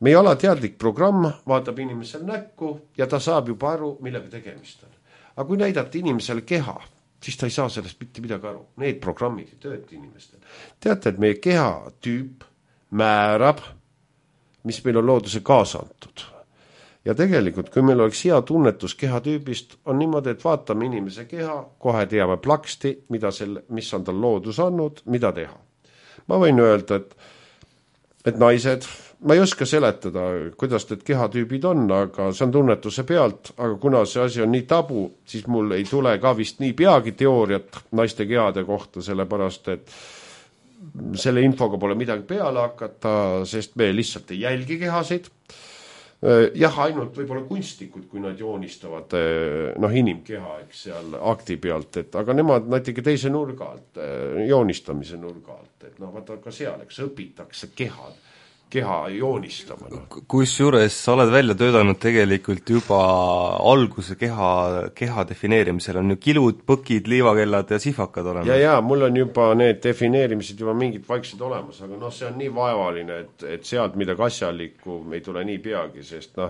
meie alateadlik programm vaatab inimesel näkku ja ta saab juba aru, millega tegemist on. Aga kui näidata inimesele keha, siis ta ei saa sellest mitte midagi aru. Need programmid ei tööta inimestel. Teate, et meie kehatüüp määrab, mis meil on looduse kaasa antud. Ja tegelikult, kui meil oleks hea tunnetus kehatüübist, on niimoodi, et vaatame inimese keha, kohe teame plaksti, mis on tal loodus andnud, mida teha. Ma võin öelda, et naised, ma ei oska seletada, kuidas need kehatüübid on, aga see on tunnetuse pealt, aga kuna see asi on nii tabu, siis mul ei tule ka vist nii peagi teooriat naiste kehade kohta, sellepärast, et selle infoga pole midagi peale hakata, sest me lihtsalt ei jälgi kehasid. Jah, ainult võib-olla kunstnikud, kui nad joonistavad inimkeha, eks seal akti pealt, aga nemad näiteks teise nurga alt, joonistamise nurga alt, et vaata ka seal, eks õpitakse keha joonistama. Kusjuures sa oled välja töötanud tegelikult juba alguse keha defineerimisel on ju kilud, põkid, liivakellad ja sihvakad olemas. Ja, mul on juba need defineerimised juba mingid vaiksed olemas, aga see on nii vaevaline, et sealt midagi asjalikku ei tule nii peagi, sest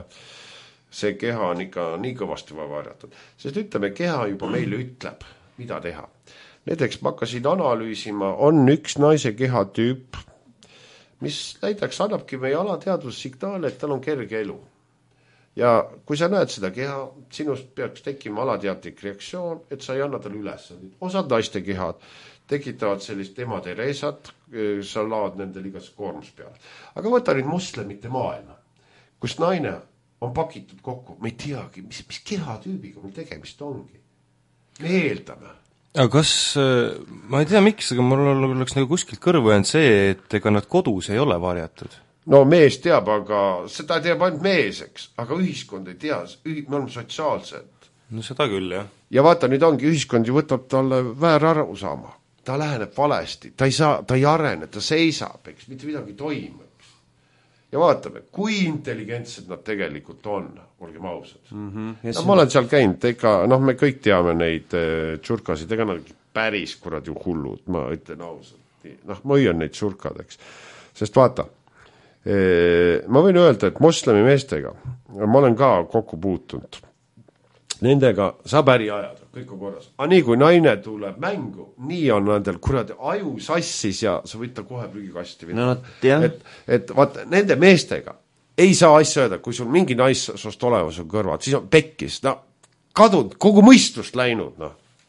see keha on ikka nii kõvasti varjatud. Sest ütleme, keha juba meile ütleb, mida teha. Näiteks ma hakkasin analüüsima, on üks naise kehatüüp, mis näiteks annabki meie alateadvuse signaale, et tal on kerge elu. Ja kui sa näed seda keha, sinust peaks tekkima alateadlik reaktsioon, et sa ei anna talle ülesandid. Osad naiste kehad tekitavad sellist ematereesat, sa laad nendel igas koormus peale. Aga võta nüüd moslemite maailma, kus naine on pakitud kokku, me ei teagi, mis kehatüübiga meil tegemist ongi. Me eeldame. Aga kas, ma ei tea miks, aga mul oleks nagu kuskilt kõrvu jäänud see, et ega nad kodus ei ole varjatud? No mees teab, aga seda teab ainult mees, eks, aga ühiskond ei tea, me oleme sotsiaalsed. No seda küll, jah. Ja vaata, nüüd ongi ühiskond ju võtab talle väär aru saama. Ta läheneb valesti, ta ei arene, ta seisab, eks, mitte midagi toimub. Ja vaatame, kui intelligentsed nad tegelikult on, olgem ausad. Ma olen seal käinud, me kõik teame neid tšurkasid, ega nad päris kuradi hullud, ma ütlen ausalt. Ma hoian neid tšurkad, eks. Sest vaata, ma võin öelda, et moslemi meestega, ma olen ka kokku puutunud. Nendega saab äri ajada, kõik on korras. Aga nii kui naine tuleb mängu, nii on nendel kuradi aju sassis ja sa võid ta kohe prügikasti no, et vaata, nende meestega ei saa asja öelda, kui sul mingi naissoost olemas on kõrvad, siis on pekkis, kadunud, kogu mõistust läinud,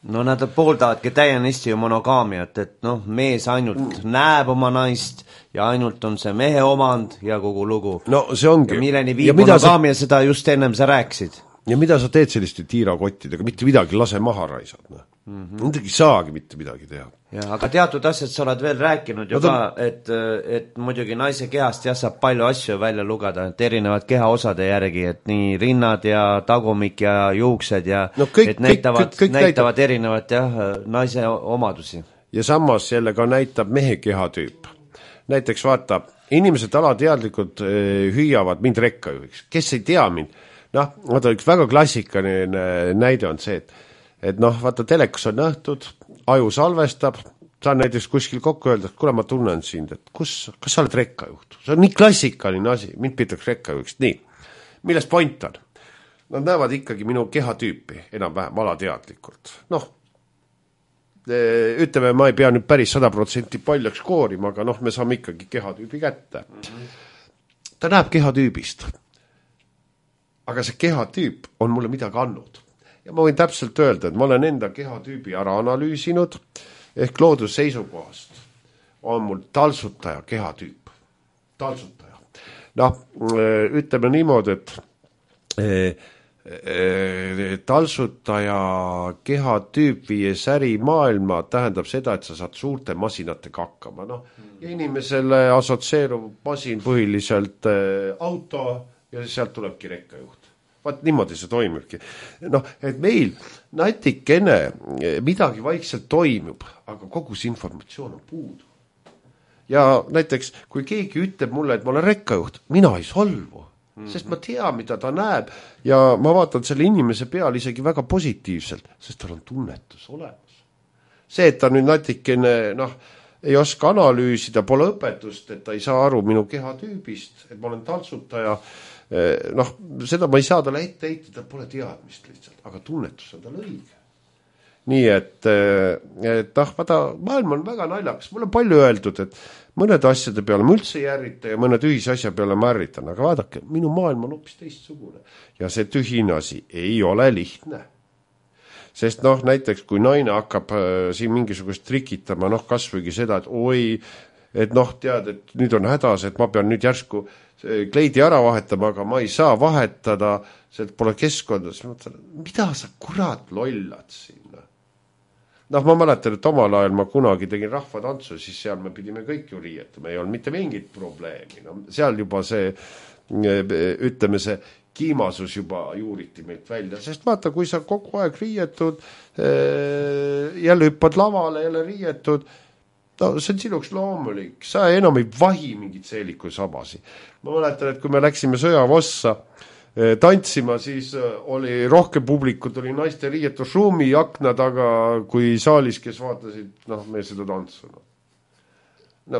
No nad pooldavadki täienisti ju monogaamiat, et mees ainult näeb oma naist ja ainult on see mehe omand ja kogu lugu. No see ongi. Ja milleni viib monogaamia, seda just ennem sa rääkisid. Ja mida sa teed selliste tiirakottidega, mitte midagi, lase maha raisad. Nendegi saagi mitte midagi teha. Ja, aga teatud asjad sa oled veel rääkinud ju ka, et muidugi naise kehast saab palju asju välja lugeda, et erinevad kehaosade järgi, et nii rinnad ja tagumik ja juuksed ja et näitavad erinevat naise omadusi. Ja samas jälle ka näitab mehe kehatüüp. Näiteks vaata, inimesed alateadlikult hüüavad mind rekkajuhiks. Kes ei tea mind? Vaata, üks väga klassikaline näide on see, et vaata, telekas on nähtud, aju salvestab, saan näiteks kuskil kokku öelda, et kuule, ma tunnen sind, et kas sa oled rekkajuht? See on nii klassikaline asi, mind pitaks rekkajuhiks. Nii, millest point on? Nad näevad ikkagi minu kehatüüpi enam-vähem alateadlikult. Ütleme, ma ei pea nüüd päris 100% paljaks koorima, aga me saame ikkagi kehatüübi kätte. Ta näeb kehatüübist. Aga see kehatüüp on mulle midagi andnud. Ja ma võin täpselt öelda, et ma olen enda kehatüübi ära analüüsinud, ehk loodusseisukohast on mul taltsutaja kehatüüp. Taltsutaja. Ütleme niimoodi, et taltsutaja kehatüüp viies ärimaailma tähendab seda, et sa saad suurte masinatega hakkama. Ja inimesele asotseerub masin põhiliselt auto, ja sealt tulebki rekkajuht. Vaat niimoodi see toimibki. Noh, et meil natikene midagi vaikselt toimub, aga kogu see informatsioon on puudu. Ja näiteks, kui keegi ütleb mulle, et ma olen rekkajuht, mina ei solvu, sest ma tean, mida ta näeb ja ma vaatan selle inimese peal isegi väga positiivselt, sest tal on tunnetus olemas. See, et ta nüüd natikene, ei oska analüüsida, pole õpetust, et ta ei saa aru minu kehatüübist, et ma olen taltsutaja, seda ma ei saa talle ette heita, ta pole teadmist lihtsalt, aga tunnetus on tal õige. Nii et vaata, maailm on väga naljakas, mul on palju öeldud, et mõned asjade peale ma üldse ei ärrita ja mõned ühise asja peale ma ärritan, aga vaadake, minu maailm on hoopis teistsugune ja see tühine asi ei ole lihtne. Sest näiteks kui naine hakkab siin mingisugust trikitama, kasvõigi seda, et oi, et tead, et nüüd on hädas, et ma pean nüüd järsku kleidi ära vahetama, aga ma ei saa vahetada, see pole keskkonda, siis ma mõtlen, mida sa kurat lollad sinna? Ma mäletan, et omal ajal ma kunagi tegin rahvatantsu, siis seal me pidime kõik ju riietama, ei olnud mitte mingit probleemi. Seal juba see, ütleme see kiimasus juba juuriti meilt välja, sest vaata, kui sa kogu aeg riietud, jälle hüppad lavale, jälle riietud, see on sinuks loomulik, sa enam ei vahi mingit seeliku sabasi. Ma mäletan, et kui me läksime Sõjavossa tantsima, siis oli rohkem publikut, oli naiste riietusruumi akna taga kui saalis, kes vaatasid me seda tantsu.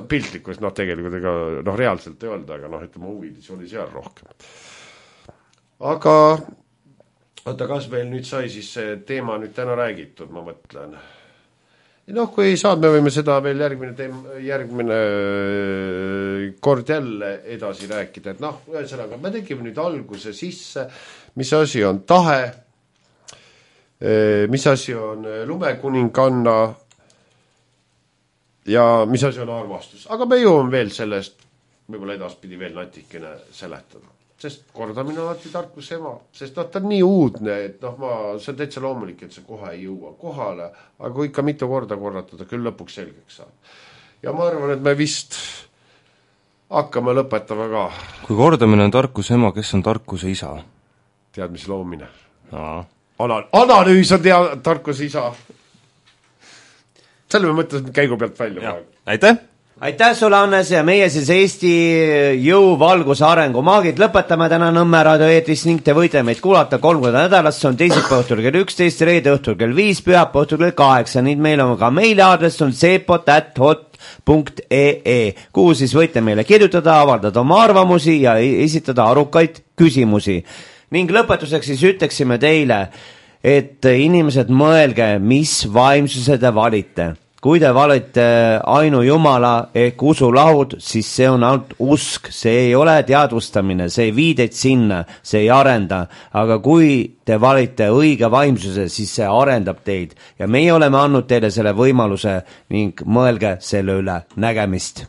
Piltlikus, tegelikult ega reaalselt ei olnud, aga ütleme huvidis oli seal rohkem. Aga oota, kas meil nüüd sai siis see teema nüüd täna räägitud, ma mõtlen. Kui ei saad, me võime seda veel järgmine kord jälle edasi rääkida, et ühesõnaga, me tegime nüüd alguse sisse, mis asi on tahe, mis asi on lumekuninganna ja mis asi on armastus. Aga me jõuame veel sellest, võib-olla edaspidi veel natikene seletada. Sest kordamine on alati tarkuse ema, sest ta on nii uudne, et see on täitsa loomulik, et see kohe ei jõua kohale, aga kui ikka mitu korda korratada, küll lõpuks selgeks saab. Ja ma arvan, et me vist hakkame lõpetama ka. Kui kordamine on tarkuse ema, kes on tarkuse isa? Teadmise loomine. Analüüs on tarkuse isa. Selle me mõtlesime käigu pealt välja. Aitäh! Aitäh sulle, Hannes, ja meie siis Eesti jõu valguse arengu maagid lõpetame täna Nõmme raadio eetris ning te võite meid kuulata 3 korda nädalas, see on teisipäeva õhtul kell 11, reede õhtul kell 5, pühapäeva õhtul kell 8, nüüd meil on ka meiliaadress on sepot@hot.ee, kuhu siis võite meile kirjutada, avaldada oma arvamusi ja esitada arukaid küsimusi. Ning lõpetuseks siis ütleksime teile, et inimesed mõelge, mis vaimsuse te valite. Kui te valite ainu Jumala ehk usulahud, siis see on ainult usk, see ei ole teadvustamine, see ei vii teid sinna, see ei arenda. Aga kui te valite õige vaimsuse, siis see arendab teid. Ja meie oleme andnud teile selle võimaluse ning mõelge selle üle. Nägemist!